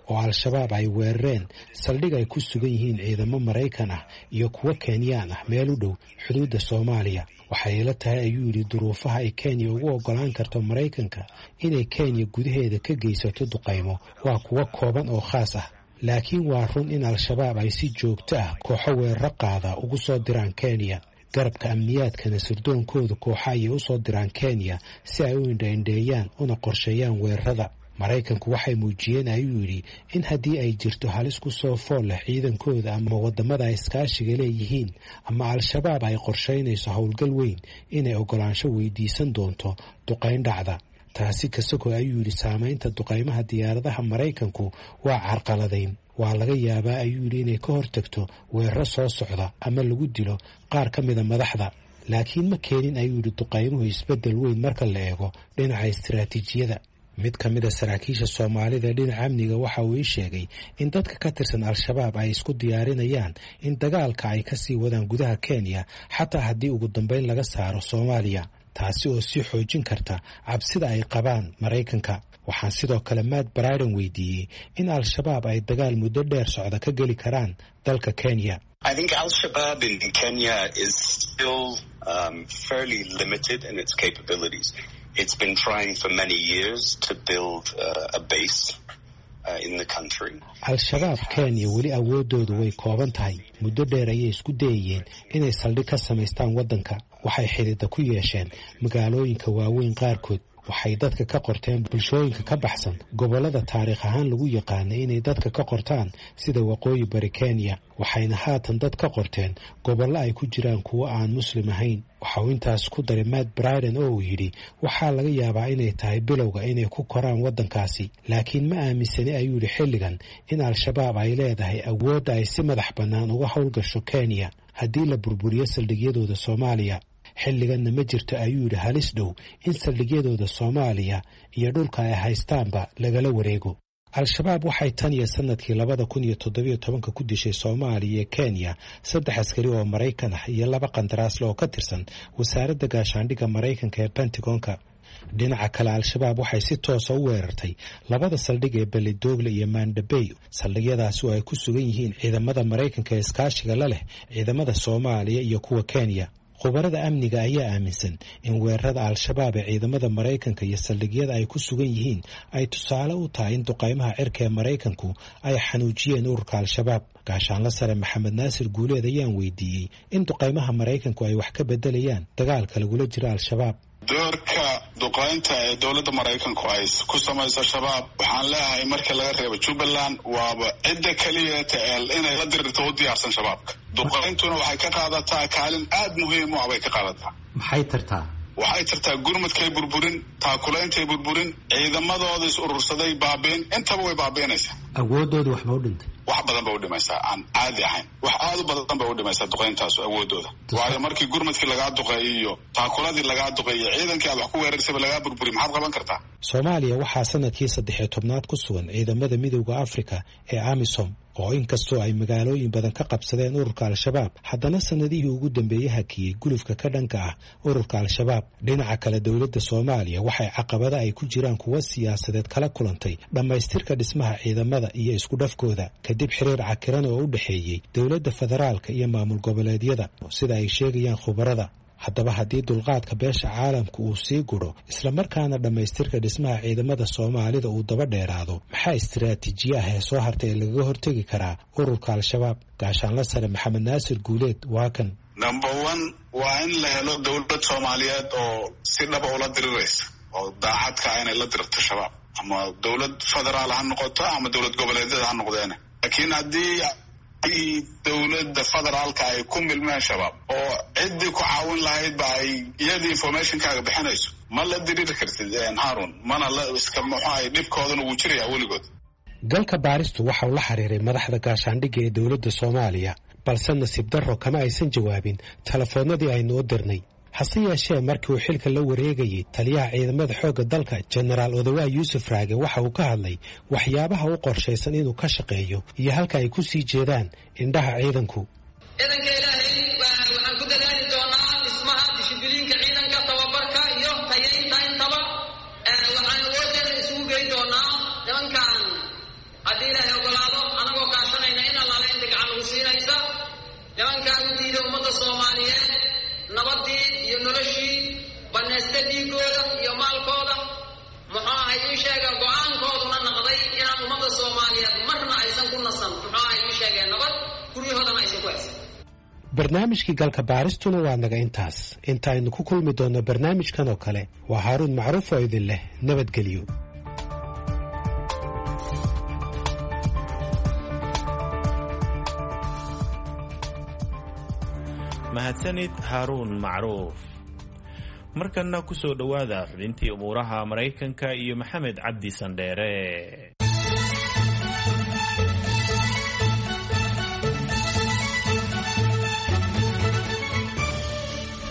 oo Al-Shabaab ay weerareen saldhig ay ku sugan yihiin ciidamo Maraykan ah iyo kuwo Kenyaan ah meel u dhow xuduudda Soomaaliya. Waxay ila tahay, ayuu yidhi, duruufaha ay Kenya ugu oggolaan karto Maraykanka inay Kenya gudaheeda ka geysato duqaymo waa kuwo kooban oo khaas ah, laakiin waa run in Al-Shabaab ay si joogto ah kooxo weeraro qaada ugu soo diraan Kenya. Garabka amniyaadkana sirdoonkooda kooxa ayay u soo diraan Kenya si ay u indhaindheeyaan una qorsheeyaan weerarada. Maraykanku waxay muujiyeen, ayuu yidhi, in haddii ay jirto halis ku soo fool leh ciidankooda ama waddamada ay iskaashiga leeyihiin ama Al-Shabaab ay qorshaynayso howlgal weyn, inay oggolaansho weydiisan doonto duqayn dhacda. Taasi kasako, ayuu yidhi, saamaynta duqaymaha diyaaradaha Maraykanku waa carqaladayn. Waa laga yaabaa, ayuu yidhi, inay ka hortagto weeraro soo socda ama lagu dilo qaar ka mida madaxda, laakiin ma keenin, ayuu yidhi, duqaymuhu isbeddel weyn marka la eego dhinaca istiraatiijiyada. Mid ka mid a saraakiisha Soomaalida dhinaca amniga waxa uu ii sheegay in dadka ka tirsan Al-Shabaab ay isku diyaarinayaan in dagaalka ay kasii wadaan gudaha Kenya xataa haddii ugu dambeyn laga saaro Soomaaliya, taasi oo sii xoojin karta cabsida ay qabaan Maraykanka. Waxaan sidoo kale Matt Briden weydiiyey in Al-Shabaab ay dagaal muddo dheer socda ka geli karaan dalka Kenya. I think Al-Shabaab in Kenya is still um, fairly limited in its capabilities. It's been trying for many years to build uh, a base uh, in the country. Al-Shabaab Kenya weli awoodoodu way kooban tahay. Muddo dheer ayay isku dayayeen inay saldhig ka samaystaan waddanka. Waxay xidhiidha ku yeesheen magaalooyinka waaweyn qaarkood. Waxay dadka ka qorteen bulshooyinka ka baxsan gobollada taariikh ahaan lagu yaqaanay inay dadka ka qortaan sida waqooyi bari Kenya. Waxayna haatan dad ka qorteen gobollo ay ku jiraan kuwo aan muslim ahayn. Waxa uu intaas ku daray Matt Bryden oo uu yidhi waxaa laga yaabaa inay tahay bilowga inay ku koraan waddankaasi, laakiin ma aaminsani ayuu yidhi xilligan in Al-Shabaab ay leedahay awoodda ay si madax bannaan uga howlgasho Kenya haddii la burburiyo saldhigyadooda Soomaaliya. Xilliganna ma jirto ayuu yidhi halis dhow in saldhigyadooda Soomaaliya iyo dhulka ay haystaanba lagala wareego. Al-Shabaab waxay tan iyo sanadkii labada kun iyo toddobiyo tobanka ku dishay Soomaaliya iyo Kenya saddex askari oo Maraykan ah iyo laba qandaraasle oo ka tirsan wasaaradda gaashaandhigga Maraykanka ee Pentagonka. Dhinaca kale, Al-Shabaab waxay si toosa u weerartay labada saldhig ee Beledoogle iyo Mandabey, saldhigyadaasi oo ay ku sugan yihiin ciidamada Maraykanka ee iskaashiga la leh ciidamada Soomaaliya iyo kuwa Kenya. Khubarada amniga ayaa aaminsan in weerarada Al-Shabaab ee ciidamada Maraykanka iyo saldhigyada ay ku sugan yihiin ay tusaale u tahay in duqaymaha cirka ee Maraykanku ay xanuujiyeen ururka Al-Shabaab. Gaashaanla sare Maxamed Naasir Guuleed ayaan weydiiyey in duqaymaha Maraykanku ay wax ka bedelayaan dagaalka lagula jiro Al-Shabaab. Doorka duqaynta ee dowladda Maraykanku ay ku samayso Shabaab, waxaan leeyahay marka laga reebo Jubbaland waaba cidda keliya teel inay la dirirto u diyaarsan Shabaabka. Duqayntuna waxay ka qaadataa kaalin aada muhiim u ah bay ka qaadataa. Maxay tartaa? Waxay tartaa gurmadkay burburin, taakulaintay burburin, ciidamadooda is urursaday baabiin, intaba way baabiinaysaa. Awoodooda waxba u dhintay? Wax badan bay u dhimaysaa aan caadi ahayn. Wax aada u badan bay u dhimaysaa duqayntaasu awoodooda. Waayo markii gurmadkii lagaa duqeeyo iyo taakuladii lagaa duqeeyo ciidankii aad wax ku weerarsayba lagaa burburiy, maxaad qaban kartaa? Soomaaliya waxaa sanadkii saddex iyo tobnaad ku sugan ciidamada Midowda Afrika ee AMISOM oo inkastoo ay magaalooyin badan ka qabsadeen ururka Al-Shabaab, haddana sanadihii ugu dambeeyey hakiyey gulufka ka dhanka ah ururka Al-Shabaab. Dhinaca kale, dowladda Soomaaliya waxay caqabada ay ku jiraan kuwo siyaasadeed kala kulantay dhammaystirka dhismaha ciidamada iyo isku dhafkooda kadib xiriir cakiran oo u dhexeeyey dowladda federaalka iyo maamul goboleedyada, sida ay sheegayaan khubarada. Haddaba haddii dulqaadka beesha caalamku uu sii gudho islamarkaana dhammaystirka dhismaha ciidamada Soomaalida uu daba dheeraado, maxaa istiraatiijiye ah ee soo hartay ee lagaga hortegi karaa ururka Al-Shabaab? Gaashaanla sare Maxamed Naasir Guuleed waa kan. Number one waa in la helo dowlad Soomaaliyeed oo si dhaba ula diriraysa oo daacadka ah inay la dirirto Shabaab, ama dowlad federaal ha noqoto ama dowlad goboleedyada ha noqdeene. Laakiin haddii dowladda federaalka ay ku milmeen Shabaab oo ciddii ku caawin lahayd ba ay iyadii informationkaaga bixinayso, ma la diriiri kartid Harun, mana la iska muxuahay dhibkoodana wuu jirayaa weligood. Galka baaristu waxa uu la xiriiray madaxda gaashaandhigga ee dowladda Soomaaliya, balse nasiib darro kama aysan jawaabin telefoonnadii aynu u dirnay. Hase yeeshee markii uu xilka la wareegayey taliyaha ciidamada xoogga dalka Jenaraal Odawaa Yuusuf Raage waxa uu ka hadlay waxyaabaha u qorshaysan inuu ka shaqeeyo iyo halka ay ku sii jeedaan indhaha ciidanku. Ciidanka Ilaahay waxaan ku dadaali doonaa dhismaha dishibiliinka ciidanka, tababarka iyo tayaynta intaba. Waxaan awoodeena isugu geyn doonaa nimankan haddii Ilaahay ogolaado, anagoo kaashanayna in allaale inta gacan lagu siinaysa nimankaan u diida ummadda Soomaaliyeed nabadii iyo noloshii, banaysta dhiigooda iyo maalkooda, muxuu ahay ii sheega go-aankooduna naqday inaan ummadda Soomaaliyeed marna aysan ku nasan, muxuu ahay ii sheegeen nabad guryahoodana aysan ku haysan. Barnaamijkii galka baaristuna waa naga intaas. Intaaynu ku kulmi doonno barnaamijkan oo kale, waa Haaruun Macruuf oo idin leh nabadgelyo. Mahadsanid Haaruun Macruuf. Markanna ku soo dhowaada xubintii umuuraha Maraykanka iyo Maxamed Cabdi Sandheere.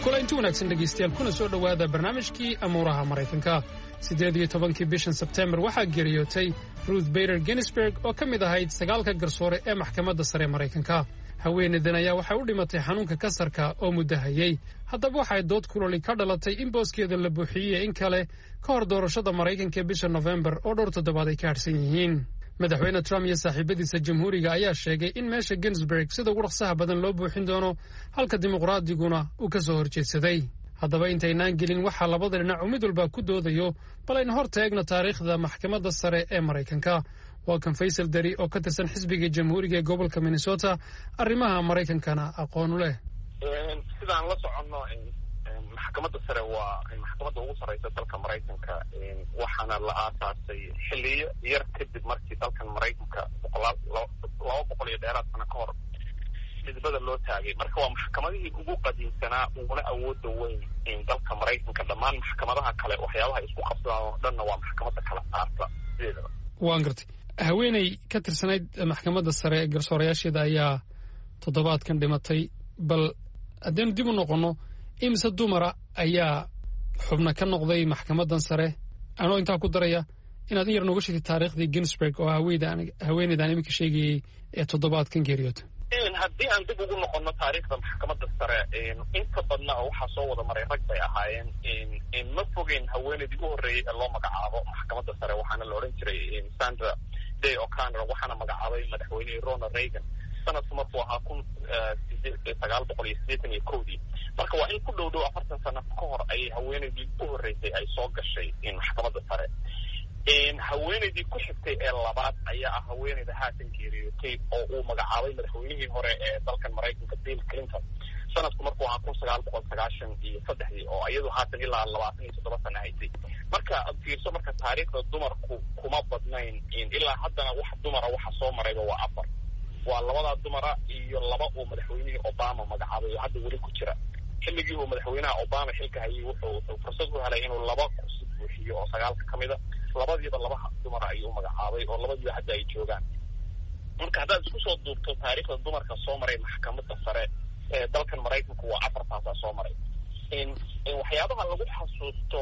Kulanti wanaagsan dhegaystayaal, kuna soo dhowaada barnaamijkii amuuraha Maraykanka. Siddeed iyo tobankii bishan Sebteembar waxaa geeriyootay Ruth Bader Ginsburg oo ka mid ahayd sagaalka garsoore ee maxkamadda sare Maraykanka. Haweeneydan ayaa waxay u dhimatay xanuunka kasarka oo muddo hayey. Haddaba waxay dood kuloli ka dhalatay in booskeeda la buuxiyey in kale ka hor doorashada Maraykanka ee bisha Nofembar oo dhowr toddobaad ay ka harsan yihiin. Madaxweyne Trump iyo saaxiibadiisa jamhuuriga ayaa sheegay in meesha Ginsburg sida ugu dhaqsaha badan loo buuxin doono, halka dimuqraadiguna uu ka soo horjeedsaday. Haddaba intaynaan gelin waxaa labada dhinac uu mid walba ku doodayo, bal aynu hor taegno taariikhda maxkamadda sare ee Maraykanka. Waa kan Faysal Dari oo ka tirsan xisbiga Jamhuuriga ee gobolka Minnesota, arrimaha Maraykankana aqoon u leh. Sidaan la soconno, maxkamadda sare waa maxkamadda ugu sarreysa dalka Maraykanka, waxaana la aasaasay xilliyo yar kadib markii dalkan Maraykanka boqolaal laba boqol iyo dheeraad sano ka hor xisbada loo taagay. Marka waa maxkamadihii ugu qadiimsanaa uguna awooda weyn dalka Maraykanka. Dhammaan maxkamadaha kale waxyaabaha isku qabsadaan oo dhanna waa maxkamadda kala saarta sideedaba. Waan gartay. Haweeney ka tirsanayd maxkamadda sare ee garsoorayaasheeda ayaa toddobaadkan dhimatay. Bal haddaynu dib u noqonno, imise dumara ayaa xubna ka noqday maxkamaddan sare? Anoo intaa ku daraya inaad in yar nooga sheegtay taariikhdii Ginsburg oo haweeneydaan iminka sheegayey ee toddobaadkan geeriyoota. Haddii aan dib ugu noqono taariikhda maxkamadda sare, inta badna oo waxaa soo wada maray rag bay ahaayeen. Ma fogeyn haweeneydii u horreeyey ee loo magacaabo maxkamadda sare, waxaana la odhan jiray Sandra Day O'Connor, waxaana magacaabay madaxweynihii Ronald Reagan sanadku markuu ahaa kun sagaal boqol iyo siddeetan iyo kowdii. Marka waa in ku dhow dhow afartan sano ka hor ayay haweeneydii u horreysay ay soo gashay maxkamadda sare. Haweeneydii ku xigtay ee labaad ayaa ah haweeneyda haatan geeriyootay oo uu magacaabay madaxweynihii hore ee dalkan Maraykanka Bill Clinton sanadku markuu ahaa kun sagaal boqol sagaashan iyo saddexdii, oo iyadu haatan ilaa labaatan iyo toddoba sano haysay. Marka fiirso, marka taariikhda dumarku kuma badnayn. Ilaa haddana wax dumara waxa soo marayba waa afar, waa labadaa dumara iyo laba uu madaxweynihii Obama magacaabay oo hadda weli ku jira. Xilligii uu madaxweynaha Obama xilka hayay wuxuu wuxuu fursad u helay inuu laba kursi buuxiyo oo sagaalka ka mid a, labadiiba laba dumara ayuu magacaabay oo labadiiba hadda ay joogaan. Marka haddaad isku soo duubto taariikhda dumarka soo maray maxkamadda sare ee dalkan Maraykanku waa afartaasaa soo maray. Waxyaabaha lagu xasuusto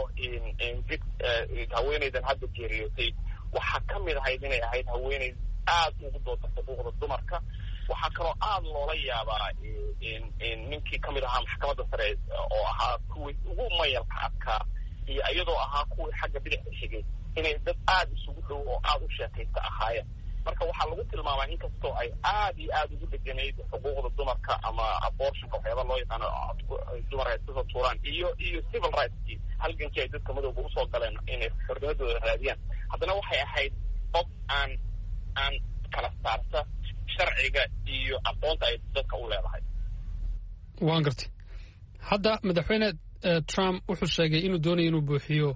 haweeneydan hadda geeriyootay waxaa ka mid ahayd inay ahayd haweeney aad ugu dooda xuquuqda dumarka. Waxaa kaloo aada loola yaabaa ninkii kamid ahaa maxkamadda sare oo ahaa kuwii ugu mayalka adkaa iyo iyadoo ahaa kuwii xagga bidixda xigay inay dad aada isugu dhow oo aada u sheekaysta ahaayeen. Marka waxaa lagu tilmaamaa inkastoo ay aada iyo aada ugu dheganayd xuquuqda dumarka ama abortionka waxyaaba loo yaqaano dumarka ay iska soo tuuraan iyo iyo civil rightskii halgankii ay dadka madowga usoo galeen inay xornimadooda raadiyaan, haddana waxay ahayd qof aan aan kala saarta sharciga iyo aqoonta ay dadka u leedahay. Waan gartay. Hadda madaxweyne Trump wuxuu sheegay inuu doonayo inuu buuxiyo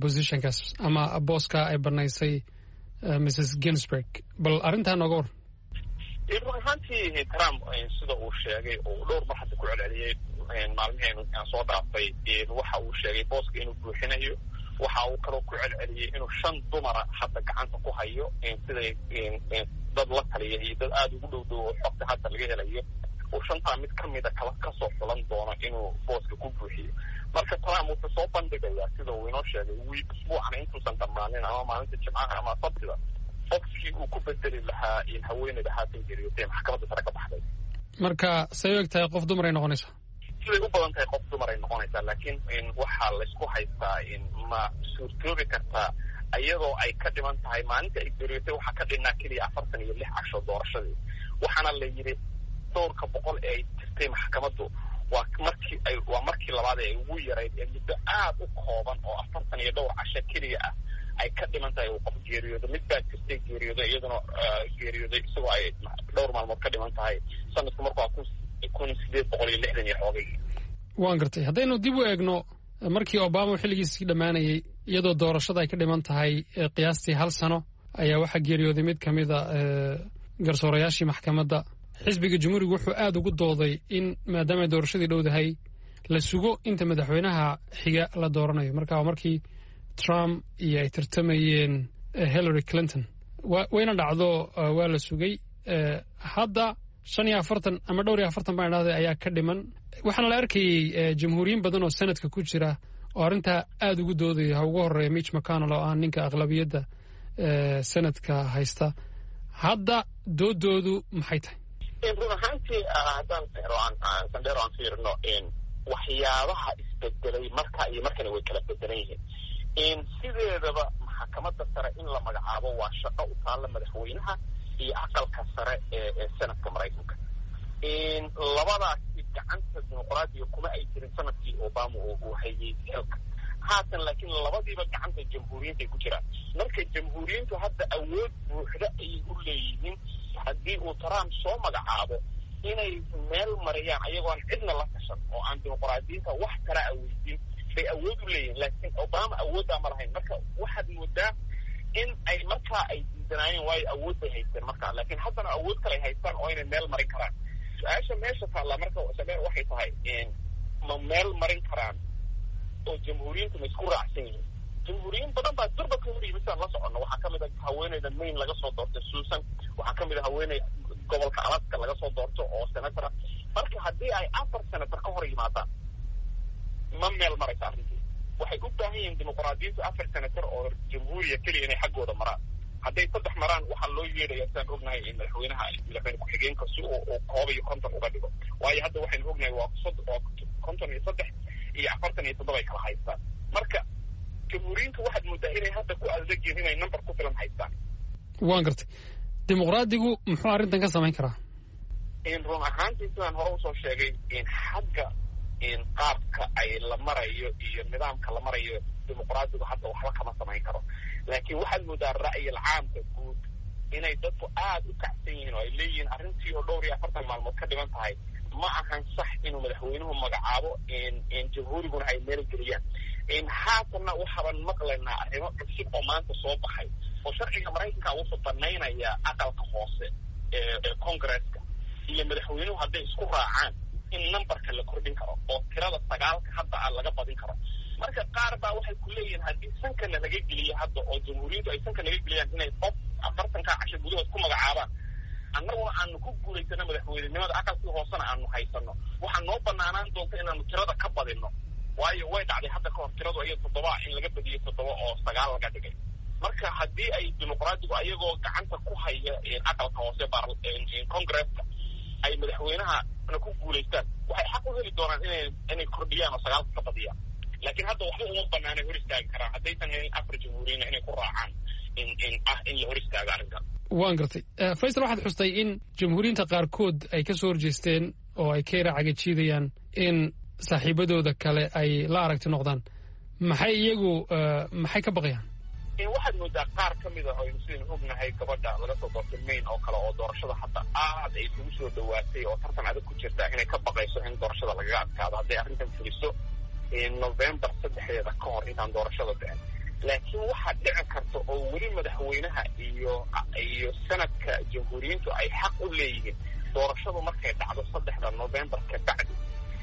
positionkaas ama booska ay banaysay Missus Ginsburg. Bal arrintaa nooga war. Run ahaantii Trump sida uu sheegay oo dhowr mar hadda ku celceliyey maalmihii aan soo dhaafay, waxa uu sheegay booska inuu buuxinayo. Waxa uu kaloo ku celceliyey inuu shan dumara hadda gacanta ku hayo, siday dad la taliya iyo dad aada ugu dhow dhow oo xogta hadda laga helayo uu shantaa mid ka mida kala kasoo xulan doono inuu booska ku buuxiyo. Marka Trump wuxuu soo bandhigayaa sida uu inoo sheegay wiil usbuucana intuusan dhammaanin ama maalinta Jimcaha ama Sabtida qofkii uu ku bedeli lahaa in haweeneyda haatan geeriyotay maxkamadda sare ka baxday. Marka say u eg tahay qof dumar ay noqonaysaa? Siday u badan tahay qof dumar ay noqonaysaa, laakiin waxaa laysku haystaa ma suurtoobi kartaa iyadoo ay ka dhiman tahay maalinta ay geeriyotay waxaa ka dhinnaa keliya afartan iyo lix casho doorashadii. Waxaana la yidhi dhowrka boqol ee ay jirtay maxkamaddu waa markii ay waa markii labaad ee ay ugu yarayd ee muddo aada u kooban oo afartan iyo dhowr casho keliya ah ay ka dhiman tahay uu qof geeriyoodo. Mid baa jirtay geeriyooday, iyaduna geeriyooday isagoo ay dhowr maalmood ka dhiman tahay sanadku markuu kun kun sideed boqol iyo lixdan iyo xoogay. Waan gartay. Haddaynu dib u eegno markii Obama xilligiisii dhammaanayay iyadoo doorashada ay ka dhiman tahay qiyaastii hal sano ayaa waxaa geeriyooday mid ka mid a garsoorayaashii maxkamadda. Xisbiga Jamhuuriga wuxuu aada ugu dooday in maadaama doorashadii dhowdahay la sugo inta madaxweynaha xiga la dooranayo. Marka waa markii Trump iyo ay tartamayeen Hillary Clinton, wayna dhacdo, waa la sugay. Hadda shan iyo afartan ama dhowr iyo afartan baan idhahday ayaa ka dhiman. Waxaana la arkayey jamhuuriyiin badan oo sanadka ku jira oo arrintaa aada ugu doodaya, ha ugu horeeya Mitch McConnell oo ah ninka aqlabiyadda sanadka haysta. Hadda doodoodu maxay tahay? Run ahaantii haddaan sandheero aan fiirino waxyaabaha isbedelay marka iyo markana way kala bedelan yihiin. Sideedaba maxkamadda sare in la magacaabo waa shaqo u taalla madaxweynaha iyo aqalka sare ee ee sanadka Maraykanka. Labadaasi gacanta dimuqraadiga kuma ay jirin sanadkii Obama uu hayay xilka. Haatan laakiin labadiiba gacanta jamhuuriyiinta ay ku jiraan. Marka jamhuuriyiintu hadda awood buuxda ayay u leeyihiin haddii uu Trump soo magacaabo inay meel mariyaan ayagoo aan cidna la tashan oo aan dimuqraadiyiinta wax kala aweydin bay awood u leeyihiin. Laakiin Obama awooddaa ma lahayn. Marka waxaad moodaa in ay markaa ay diidanaayeen, waayo awood bay haysteen markaa, laakiin haddana awood kale ay haystaan oo inay meel marin karaan. Su-aasha meesha taallaa marka sameer waxay tahay, ma meel marin karaan oo jamhuuriyiintu ma isku raacsan yihiin? Jamhuuriyiin badan baa durba ka hor yimid sidaan la soconno. Waxaa ka mid a haweeneyda Maine laga soo doortay Susan, waxaa ka mid a haweeney gobolka Alaska laga soo doorto oo senator ah. Marka haddii ay afar senator ka hor yimaadaan, ma meel maraysa arrintii. Waxay u baahan yihiin dimuqraadiyiintu afar senator oo jamhuuriya keliya inay xaggooda maraan. Hadday saddex maraan, waxaa loo yeedhaya sidaan ognahay in madaxweynaha, madaxweyne ku-xigeenka, si uu uu koob iyo konton uga dhigo. Waayo hadda waxaynu ognahay waa waa konton iyo saddex iyo afartan iyo toddoba ay kala haystaan. Marka jamhuuriyiintu waxaad moodaa inay hadda ku adag yihiin inay number ku filan haystaan. Waan gartay. Dimuqraadigu muxuu arrintan ka samayn karaa? Run ahaantii sidaan hore usoo sheegay, xagga qaabka ay la marayo iyo nidaamka la marayo dimuqraadigu hadda waxba kama samayn karo. Laakiin waxaad moodaa ra'yil caamka guud inay dadku aada u kacsan yihiin oo ay leeyihiin arrintii oo dhowr iyo afartan maalmood ka dhiman tahay ma ahan sax inuu madaxweynuhu magacaabo, jamhuuriguna ay meel geliyaan. Haatanna waxaaban maqlaynaa arrimo cusub oo maanta soo baxay oo sharciga Maraykanka wuxuu banaynaya aqalka hoose ee congresska iyo madaxweynuhu hadday isku raacaan in numberka la kordhin karo oo tirada sagaalka hadda a laga badin karo. Marka qaar baa waxay ku leeyihiin haddii sankana laga geliyo hadda oo jamhuuriyaddu ay sanka naga geliyaan inay qof afartankaa casho gudahood ku magacaabaan, annaguna aanu ku guulaysano madaxweynenimada, aqalkii hoosena aanu haysano, waxaa noo banaanaan doonta inaanu tirada ka badino. Waayo way dhacday hadda ka hor tiradu iyo toddobaa in laga badiyo toddoba oo sagaal laga dhigay. Marka haddii ay dimuqraadigu ayagoo gacanta ku haya aqalka hoose congresska ay madaxweynahana ku guulaystaan, waxay xaq u heli doonaan inay inay kordhiyaan oo sagaalka ka badiyaan. Laakiin hadda waxba uma banaanay hor istaagi karaan haddaysan helin afar jamhuuriyina inay ku raacaan in in ah in la hor istaago arrinkan. Waan gartay. Faysal, waxaad xustay in jamhuuriyiinta qaarkood ay ka soo horjeesteen oo ay ka yara cagajiidayaan in saaxiibadooda kale ay la aragti noqdaan. Maxay iyagu maxay ka baqayaan? Waxaad moodaa qaar ka mid a aynu sidaynu ognahay gabadha laga soo doortay Maine oo kale oo doorashada hadda aad ay isugu soo dhawaatay oo tartan adag ku jirta inay ka baqayso in doorashada lagaga adkaado hadday arrintan fuliso November saddexdeeda ka hor intaan doorashada dhicin. Laakiin waxaa dhici karta oo weli madaxweynaha iyo iyo sanadka jamhuuriyiintu ay xaq u leeyihiin doorashadu markay dhacdo saddexda November ka bacdi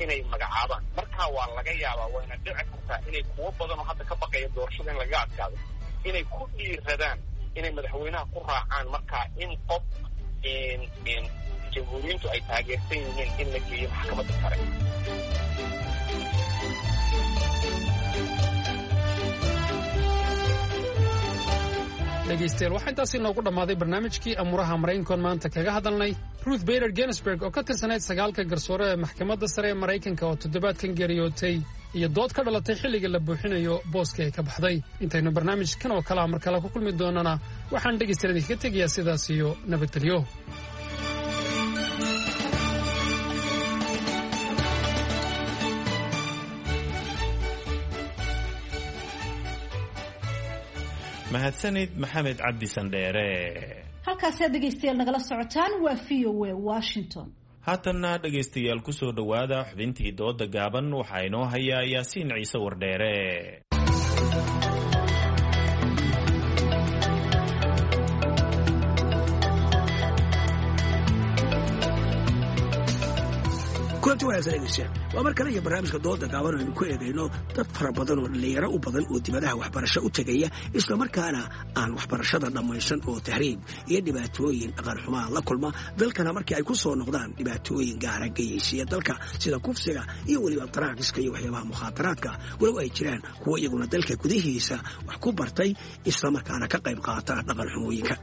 inay magacaabaan. Markaa waa laga yaabaa, wayna dhici kartaa inay kuwo badan oo hadda ka baqaya doorashada in lagaga adkaado inay ku dhiiradaan inay madaxweynaha ku raacaan markaa in qof jamhuuriyiintu ay taageersan yihiin in la geeyo maxkamadda sare. Dhegaystayaal, waxaa intaasi inoogu dhammaaday barnaamijkii amuuraha Maraykankoon maanta kaga hadalnay Ruth Bader Ginsburg oo ka tirsanayd sagaalka garsoore ee maxkamadda sare ee Maraykanka oo toddobaadkan geeriyootay iyo dood ka dhalatay xilliga la buuxinayo booska ay ka baxday. Intaynu barnaamijkan oo kalea mar kale ku kulmi doonana, waxaan dhegaystayaal idinkaga tegayaa sidaas iyo nabadgelyo. Mahadsanid Maxamed Cabdi Sandheere. Halkaasi aad dhegaystayaal nagala socotaan waa V O A Washington. Haatanna dhegaystayaal ku soo dhowaada xubintii dooda gaaban. Waxaa inoo hayaa Yaasiin Ciise Wardheere. Kulanti wanaagsan dhegeystayaal, waa mar kale iyo barnaamijka dooda gaaban aynu ku eegayno dad fara badan oo dhallinyaro u badan oo dibadaha waxbarasho u tegaya, islamarkaana aan waxbarashada dhammaysan oo tahriib iyo dhibaatooyin dhaqanxumaa la kulma, dalkana markii ay ku soo noqdaan dhibaatooyin gaara geyeysiya dalka sida kufsiga iyo weliba daraagiska iyo waxyaabaha mukhaadaraadka, walow ay jiraan kuwo iyaguna dalka gudihiisa wax ku bartay islamarkaana ka qayb qaata dhaqanxumooyinka.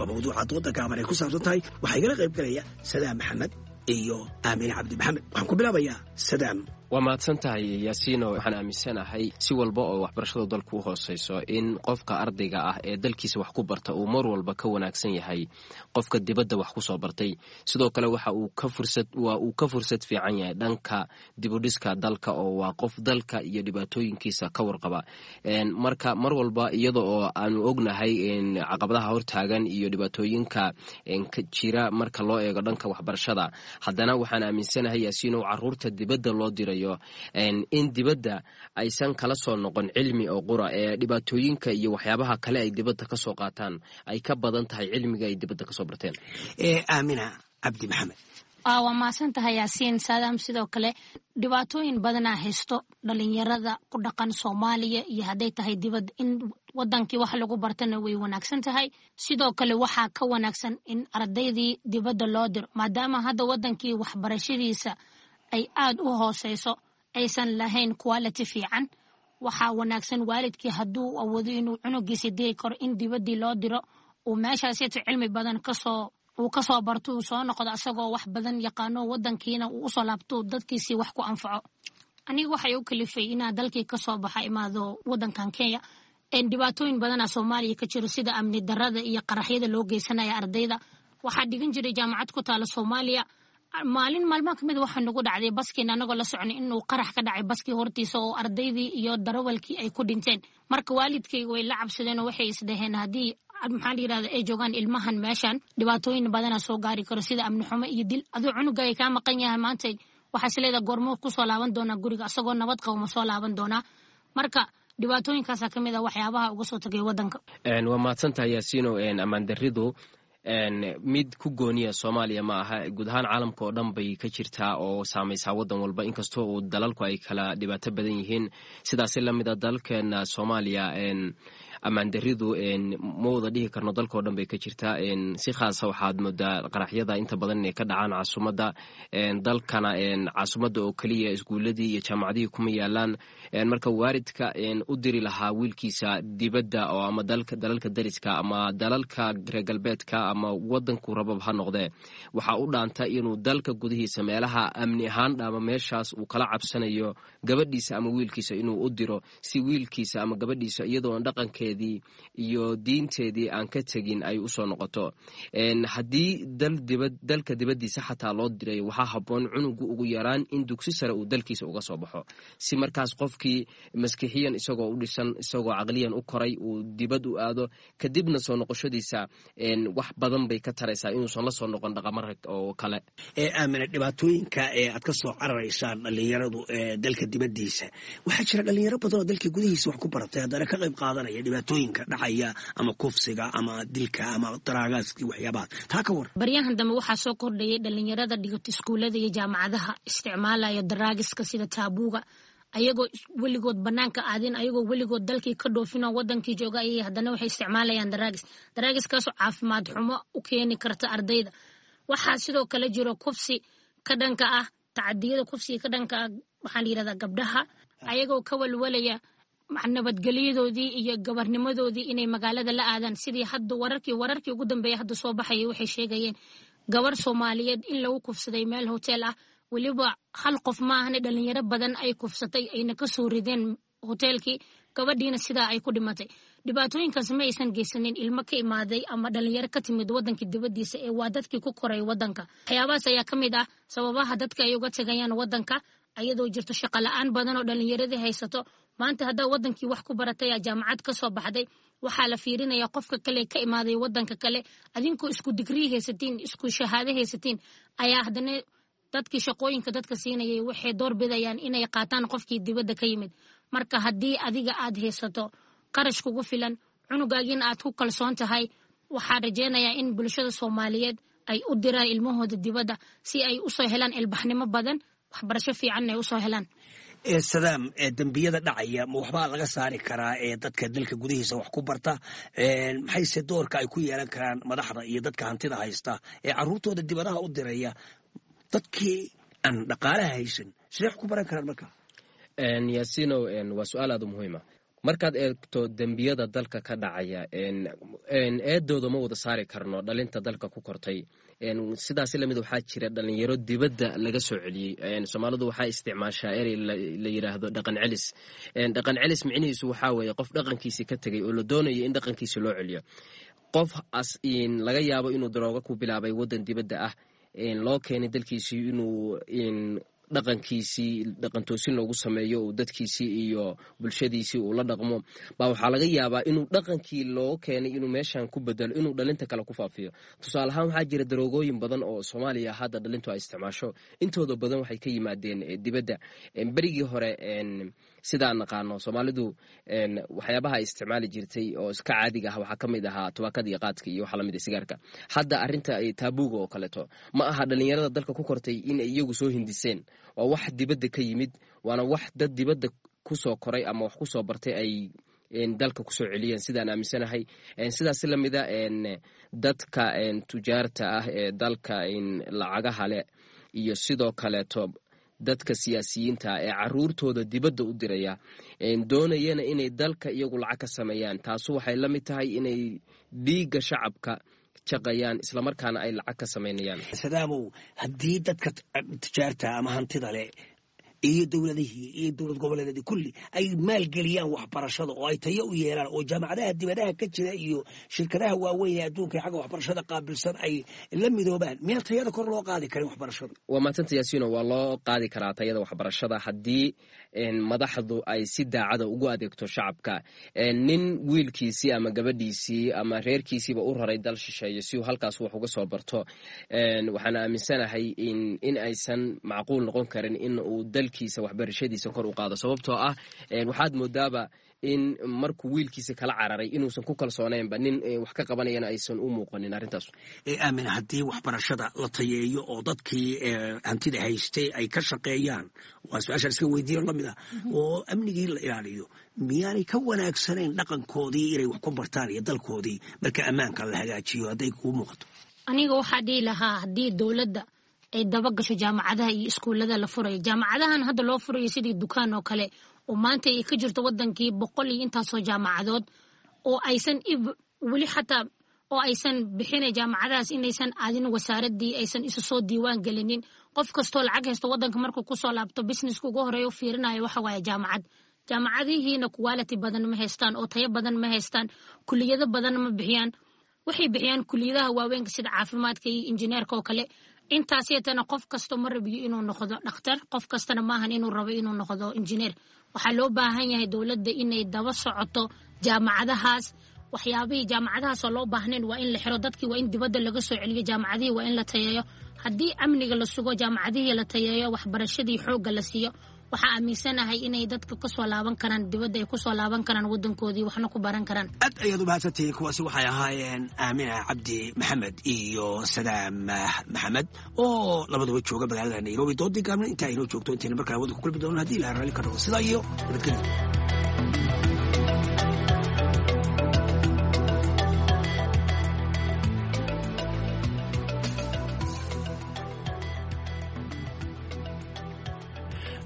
Waa mawduuca dooda gaaban ay ku saabsan tahay. Waxaa igala qayb galaya Sadaam Maxamed iyo Aamine Cabdi Maxamed. Waxaan ku bilaabayaa Sadaam. Waa mahadsan tahay, Yaasiino. Waxaan aaminsanahay si walba oo waxbarashadu dalku u hooseyso in qofka ardayga ah ee dalkiisa wax ku barta uu mar walba ka wanaagsan yahay qofka dibadda wax kusoo bartay. Sidoo kale waxa uu ka fursad waa uu ka fursad fiican yahay dhanka dibudhiska dalka, oo waa qof dalka iyo dhibaatooyinkiisa ka warqaba. Marka mar walba iyada oo aanu ognahay caqabadaha hortaagan iyo dhibaatooyinka jira marka loo eego dhanka waxbarashada, haddana waxaan aaminsanahay, Yaasiino, caruurta dibadda loo dirayo in dibadda aysan kala soo noqon cilmi oo qura ee dhibaatooyinka iyo waxyaabaha kale ay dibadda kasoo qaataan ay ka badan tahay cilmiga ay dibadda kasoo barteen. Aamina Cabdi Maxamed. Waa mahadsan tahay, Yaasiin. Saadaam, sidoo kale dhibaatooyin badanaa haysto dhalinyarada ku dhaqan Soomaaliya iyo hadday tahay dibad. In wadankii wax lagu bartana way wanaagsan tahay. Sidoo kale waxaa ka wanaagsan in ardaydii dibadda loo diro, maadaama hadda wadankii waxbarashadiisa ay aad u hooseyso, aysan lahayn quality fiican. Waxaa wanaagsan waalidkii hadduu awoodo inuu cunugiisa diri karo in dibaddii loo diro, uu meeshaasito cilmi badan kasoo uu kasoo barto, uu soo noqdo asagoo wax badan yaqaano, wadankiina uu usoo laabto, dadkiisii wax ku anfaco. Aniga waxay u kalifay inaa dalkii kasoo baxa, imaado wadankan Kenya, dhibaatooyin badana Soomaaliya ka jiro, sida amni darada iyo qaraxyada loo geysanaya ardayda. Waxaa dhigan jiray jaamacad ku taala Soomaaliya. Maalin maalmaha kamid waxaa nagu dhacday baskiina anagoo la soconay inuu qarax ka dhacay baskii hortiisa, oo ardaydii iyo darawalkii ay ku dhinteen. Marka waalidkayga way la cabsadeen oo waxay isdhaheen haddii, maxaa la yirahda, ay joogaan ilmahan meeshan, dhibaatooyin badana soo gaari karo, sida amni xumo iyo dil. Aduu cunugaaga kaa maqan yahay maanta, waxaa is leedaha goormo kusoo laaban doonaa guriga, asagoo nabad qabo ma soo laaban doonaa? Marka dhibaatooyinkaasaa kamid ah waxyaabaha uga soo tagay wadanka. Waa mahadsantahay, Yaasiino. Ammaan daridu mid ku gooniya Soomaaliya ma aha, guud ahaan caalamka oo dhan bay ka jirtaa oo saamaysaa wadan walba, inkastoo uu dalalku ay kala dhibaato badan yihiin. Sidaasi lamid a dalalkeena Soomaaliya ammaan daridu ma wada dhihi karno dalka oo dhan bay ka jirtaa. Si khaasa waxaad moodaa qaraxyada inta badan inay ka dhacaan caasimadda dalkana. Caasimadda oo keliya iskuuladii iyo jaamacadihii kuma yaalaan. Marka waalidka u diri lahaa wiilkiisa dibadda oo ama dalalka dariska ama dalalka reer galbeedka ama wadanku rabab ha noqdee, waxaa u dhaanta inuu dalka gudihiisa meelaha amni ahaan dhaama, meeshaas uu kala cabsanayo gabadhiisa ama wiilkiisa inuu u diro, si wiilkiisa ama gabadhiisa iyadoon dhaqankeedii iyo diinteedii aan ka tegin ay usoo noqoto. Haddii dalka dibaddiisa xataa loo diray, waxaa habboon cunugu ugu yaraan in dugsi sare uu dalkiisa uga soo baxo, si markaas qofkii maskixiyan isagoo u dhisan, isagoo caqliyan u koray, uu dibad u aado, kadibna soo noqoshadiisa wax badan bay ka taraysaa inuusan la soo noqon dhaqamar oo kale. Aamina, dhibaatooyinka ee aad ka soo cararaysaan dhalinyaradu ee dalka dibaddiisa, waxaa jira dhalinyaro badan oo dalka gudihiisa wax ku baratay haddana ka qayb qaadanaya dhibaatooyinka dhacaya, ama kufsiga ama dilka ama daraagaaski, waxyaabahaas. Taa ka war. Baryahan dambe waxaa soo kordhayay dhalinyarada dhigata iskuullada iyo jaamacadaha isticmaalaya daraagiska sida taabuuga, ayagoo weligood banaanka aadin, ayagoo weligood dalkii ka dhoofinoo wadankii jooga ayay haddana waxay isticmaalayaan daraagis, daraagiskaasoo caafimaad xumo u keeni karta ardayda. Waxaa sidoo kale jiro kufsi ka dhanka ah, tacadiyada kufsiga ka dhanka ah, waxaa la yirahdaa gabdhaha, ayagoo ka walwalaya nabadgelyadoodii iyo gabarnimadoodii inay magaalada la aadaan. Sidii hadda wararkii wararkii ugu dambeeya hadda soo baxayay waxay sheegayeen gabar Soomaaliyeed in lagu kufsaday meel hotel ah. Weliba hal qof maahane, dhalinyaro badan ay kufsatay, ayna kasoo rideen hoteelkii, gabadhiina sidaa ay ku dhimatay. Dhibaatooyinkaas ma aysan geysanin ilmo ka imaaday ama dhalinyaro ka timid wadanka dibadiisa ee waa dadkii ku koray wadanka. Waxyaabahaas ayaa ka mid ah sababaha dadka ay uga tagayaan wadanka, ayadoo jirto shaqo la-aan badan oo dhalinyaradii haysato. Maanta haddaa wadankii wax ku baratay, jaamacad ka soo baxday, waxaa la fiirinaya qofka kale ka imaaday wadanka kale. Adinkoo isku digrii haysatiin, isku shahaado haysatiin, ayaa haddana dadkii shaqooyinka dadka siinayay waxay door bidayaan inay qaataan qofkii dibadda ka yimid. Marka haddii adiga aad haysato qarash kugu filan, cunugaagiina aad ku kalsoon tahay, waxaa rajeynayaa in bulshada Soomaaliyeed ay u diraan ilmahooda dibadda si ay usoo helaan ilbaxnimo badan, waxbarasho fiicanna ay usoo helaan. Sadaam, dembiyada dhacaya ma waxbaa laga saari karaa ee dadka dalka gudihiisa wax ku barta? Maxayse doorka ay ku yeelan karaan madaxda iyo dadka hantida haysta ee caruurtooda dibadaha u diraya? Dadkii aan dhaqaalaha haysan sidee wax ku baran karaan marka? Yaasinow, waa su-aal aad u muhiima. Markaad eegto dembiyada dalka ka dhacaya, eedooda ma wada saari karno dhalinta dalka ku kortay. Sidaas lamid waxaa jira dhalinyaro dibadda laga soo celiyey. Soomaalidu waxaa isticmaashaa erey la yiraahdo dhaqan celis. Dhaqan celis micnihiisu waxaa weeye qof dhaqankiisii ka tegay oo la doonayo in dhaqankiisi loo celiyo. Qof as laga yaabo inuu darooga ku bilaabay waddan dibadda ah, loo keenay dalkiisii inuu dhaqankiisii dhaqantoosin loogu sameeyo, uu dadkiisii iyo bulshadiisii uu la dhaqmo, baa waxaa laga yaabaa inuu dhaqankii loo keenay inuu meeshan ku bedelo, inuu dhalinta kale ku faafiyo. Tusaale ahaan, waxaa jira daroogooyin badan oo Soomaaliya hadda dhalintu ay isticmaasho. Intooda badan waxay ka yimaadeen dibadda. Berigii hore, sidaan naqaano, Soomaalidu waxyaabaha ay isticmaali jirtay oo iska caadiga ah waxaa ka mid ahaa tubaakada iyo qaadka iyo waxa lamid ah sigaarka. Hadda arrinta taabuuga oo kaleeto ma aha dhalinyarada dalka ku kortay in ay iyagu soo hindiseen. Waa wax dibadda ka yimid, waana wax dad dibadda kusoo koray ama wax kusoo bartay ay dalka kusoo celiyeen, sidaan aaminsanahay. Sidaas lamida dadka tujaarta ah ee dalka lacagaha leh iyo sidoo kaleeto dadka siyaasiyiinta ee caruurtooda dibadda u diraya, doonayana inay dalka iyagu lacag ka sameeyaan, taasu waxay la mid tahay inay dhiigga shacabka jaqayaan, islamarkaana ay lacag ka samaynayaan. Sadaamow, haddii dadka tijaarta ama hantida leh iyo dowladihii iyo dowlad goboleedyadii kulli ay maalgeliyaan waxbarashada oo ay tayo u yeelaan, oo jaamacadaha dibadaha ka jira iyo shirkadaha waaweyn ee adduunka xagga waxbarashada qaabilsan ay la midoobaan, meel tayada kor loo qaadi karin waxbarashada? Waa mahadsanta, Yaasiino. Waa loo qaadi karaa tayada waxbarashada haddii madaxdu ay si daacada ugu adeegto shacabka. Nin wiilkiisii ama gabadhiisii ama reerkiisiiba u raray dal shisheeye si uu halkaas wax uga soo barto, waxaan aaminsanahay in aysan macquul noqon karin in uu dalkiisa waxbarashadiisa kor u qaado, sababtoo ah waxaad moodaaba in markuu wiilkiisa kala cararay inuusan ku kalsoonaynba, nin wax ka qabanayana aysan u muuqanin arrintaas. Aamin, haddii waxbarashada la tayeeyo oo dadkii hantida haystay ay ka shaqeeyaan, waa su-aashaan iska weydiiyo lamid ah, oo amnigii la ilaaliyo, miyaanay ka wanaagsanayn dhaqankoodii inay wax ku bartaan iyo dalkoodii marka ammaanka la hagaajiyo, hadday kuu muuqato? Aniga waxaa dhihi lahaa, haddii dowladda ay daba gasho jaamacadaha iyo iskuullada la furayo, jaamacadahan hadda loo furayo sidii dukaan oo kale, oo maanta ay ka jirto wadankii boqol iyo intaasoo jaamacadood, oo aysan weli xataa oo aysan bixinay jaamacadahaas inaysan aadin wasaaradii, aysan isu soo diiwaan gelinin. Qof kastoo lacag haysto wadanka markuu kusoo laabto, businesska ugu horeeya u fiirinayo waxa waaye jaamacad. Jaamacadihiina quality badan ma haystaan oo tayo badan ma haystaan, kuliyado badan ma bixiyaan. Waxay bixiyaan kuliyadaha waaweynka sida caafimaadka iyo injineerka oo kale. Intaasiyatana qof kasta ma rabiyo inuu noqdo dhakhtar, qof kastana maahan inuu rabo inuu noqdo injineer. Waxaa loo baahan yahay dowladda inay daba socoto jaamacadahaas. Waxyaabihii jaamacadahaasoo loo baahnayn waa in la xiro, dadkii waa in dibadda laga soo celiyo, jaamacadihii waa in la tayeeyo. Haddii amniga la sugo, jaamacadihii la tayeeyo, waxbarashadii xoogga la siiyo, waxaa aaminsanahay inay dadka kasoo laaban karaan dibadda, ay kusoo laaban karaan wadankoodii, waxna ku baran karaan. Aad ayaad u mahadsantihiin. Kuwaasi waxay ahaayeen Aamina Cabdi Maxamed iyo Sadaam Maxamed oo labaduba jooga magaalada Nairobi. Doodii gaabna intaa inoo joogto, intayna markaa waddanka kulmi doono, haddii ilaha raalli ka noqdo, sidaa iyo nabadgelyo.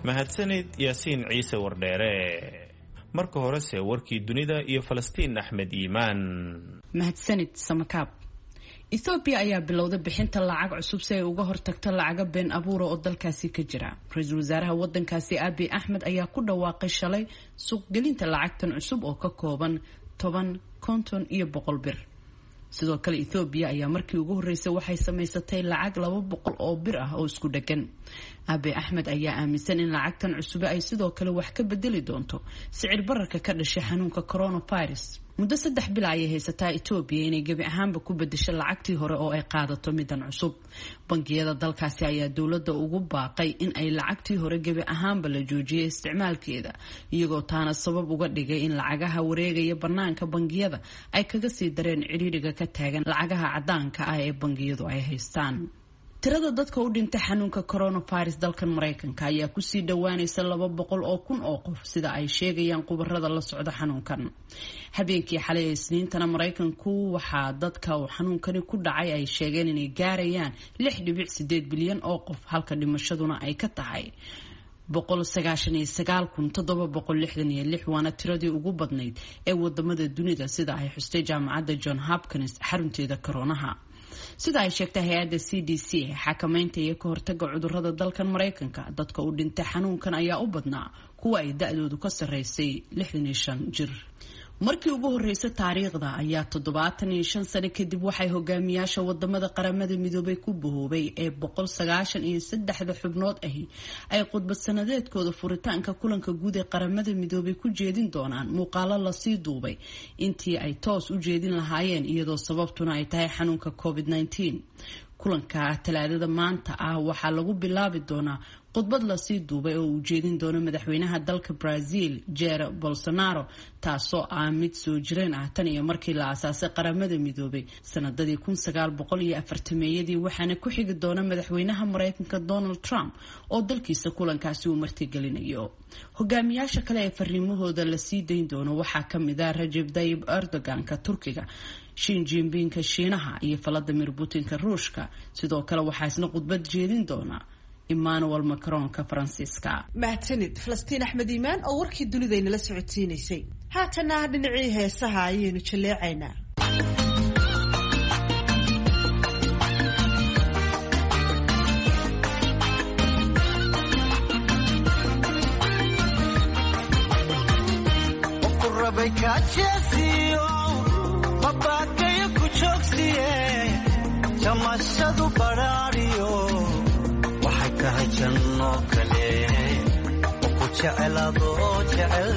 Mahadsanid, Yaasiin Ciise Wardheere. Marka horese warkii dunida iyo Falastiin Axmed Iimaan. Mahadsanid, Samakaab. Ethoobiya ayaa bilowday bixinta lacag cusub si ay uga hortagto lacaga been abuura oo dalkaasi ka jira. Ra-iisul wasaaraha wadankaasi Abiy Axmed ayaa ku dhawaaqay shalay suuqgelinta lacagtan cusub oo ka kooban toban, konton iyo boqol bir. Sidoo kale Ethoobiya ayaa markii ugu horreysay waxay samaysatay lacag laba boqol oo bir ah oo isku dheggan. Abiy Axmed ayaa aaminsan in lacagtan cusube ay sidoo kale wax ka bedeli doonto sicir bararka ka dhashay xanuunka coronavirus. Muddo saddex bil ayay haysataa Etoobiya inay gebi ahaanba ku bedesho lacagtii hore oo ay qaadato midan cusub. Bangiyada dalkaasi ayaa dowladda ugu baaqay in ay lacagtii hore gebi ahaanba la joojiyay isticmaalkeeda, iyagoo taana sabab uga dhigay in lacagaha wareegaya bannaanka bangiyada ay kaga sii dareen cidhiidhiga ka taagan lacagaha caddaanka ah ee bangiyadu ay haystaan. Tirada dadka u dhintay xanuunka coronavirus dalkan Maraykanka ayaa kusii dhowaanaysa laba boqol oo kun oo qof, sida ay sheegayaan khubarada la socda xanuunkan. Habeenkii xalay ee Isniintana Maraykanku waxaa dadka uu xanuunkani ku dhacay ay sheegeen inay gaarayaan lix dhibic sideed bilyan oo qof, halka dhimashaduna ay ka tahay boqol sagaashan iyo sagaal kun toddoba boqol lixdan iyo lix, waana tiradii ugu badnayd ee wadamada dunida, sida ay xustay jaamacadda John Hopkins xarunteeda koronaha. Sida ay sheegtay hay-adda C D C ee xakamaynta iyo ka hortaga cudurrada dalkan Maraykanka, dadka u dhintay xanuunkan ayaa u badnaa kuwa ay da-doodu ka sarreysay lixdan iyo shan jir. Markii ugu horreysay taariikhda ayaa toddobaatan iyo shan sano kadib waxay hogaamiyaasha wadamada Qaramada Midoobay ku bahoobay ee boqol sagaashan iyo saddexda xubnood ahi ay khudbad sanadeedkooda furitaanka kulanka guud ee Qaramada Midoobay ku jeedin doonaan muuqaalo lasii duubay intii ay toos u jeedin lahaayeen, iyadoo sababtuna ay tahay xanuunka covid nineteen. Kulanka Talaadada maanta ah waxaa lagu bilaabi doonaa khudbad lasii duubay oo uu jeedin doono madaxweynaha dalka Brazil Jair Bolsonaro, taasoo ah mid soo jireen ah tan iyo markii la aasaasay Qaramada Midoobay sanadadii kun sagaal boqol iyo afartameeyadii, waxaana ku xigi doona madaxweynaha Mareykanka Donald Trump oo dalkiisa kulankaasi uu martigelinayo. Hogaamiyaasha kale ee fariimahooda lasii dayn doono waxaa kamid ah Rajab Tayyip Erdogan-ka Turkiga, Xi Jinping-ka Shiinaha iyo Vladimir Putin-ka Ruushka. Sidoo kale waxaa isna khudbad jeedin doona Emmanuel Macron-ka Faransiiska. Mahadsanid Falastiin Axmed Iimaan oo warkii dunidaynala socodsiinaysay. Haatana dhinacii heesaha ayaynu jaleecaynaa. Jamashadu baraariyo waxay tahay janno kale oo ku jecelaado jecel.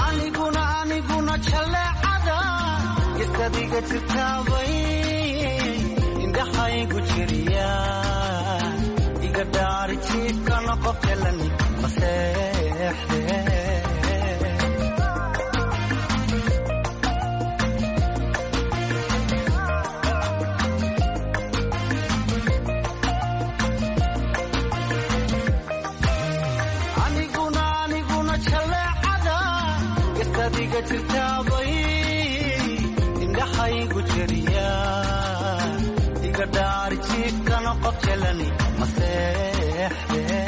Aniguna aniguna jaleecada isadiga jirtaabay indhaxaygu jiriya gaari jiifkana qof jalan maseexde. Aniguna aniguna jaleecada gastadiga jirtaabay indhaxaygu jiriya iga dhaari jiifkana qof jalani maseexde.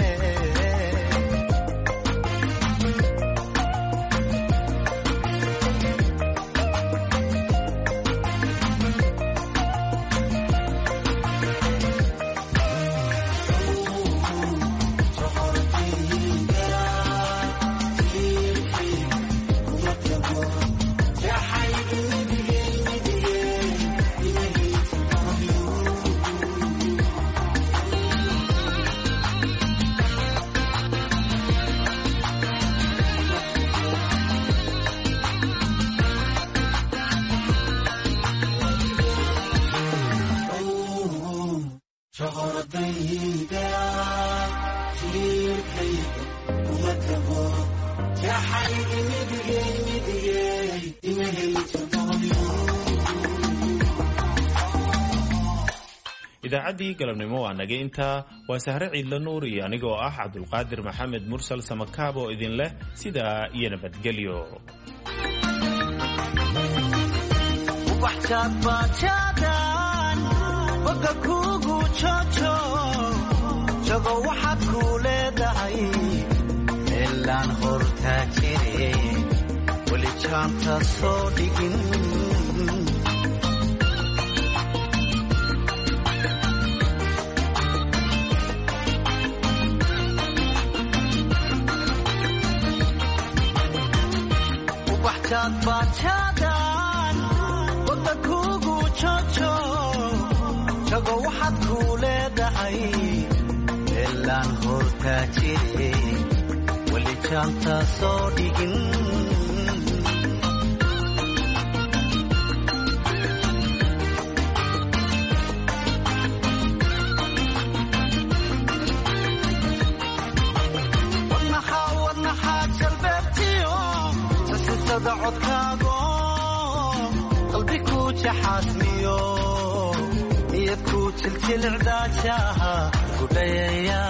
Idaacaddii galabnimo waa naga intaa. Waa Sahre Ciidla Nuur iyo anigoo ah Cabdulqaadir Maxamed Mursal Samakaab oo idin leh sidaa iyo nabadgelyo. Boga kugu jojo jago waxaad ku leedahay meelaan hortaa jire weli jaanta soo dhigin. Ubaxjaadbaajaadan boga kugu jojo jago waxaad ku leedahay meelaan hortaa jire weli jaanta soo dhigin. Wadnaxaa wadnaxaa jalbeebtiyo sasisada codkaago qalbi ku jaxaasmiyo niyad ku jiljilcdaajaha gudhayaya.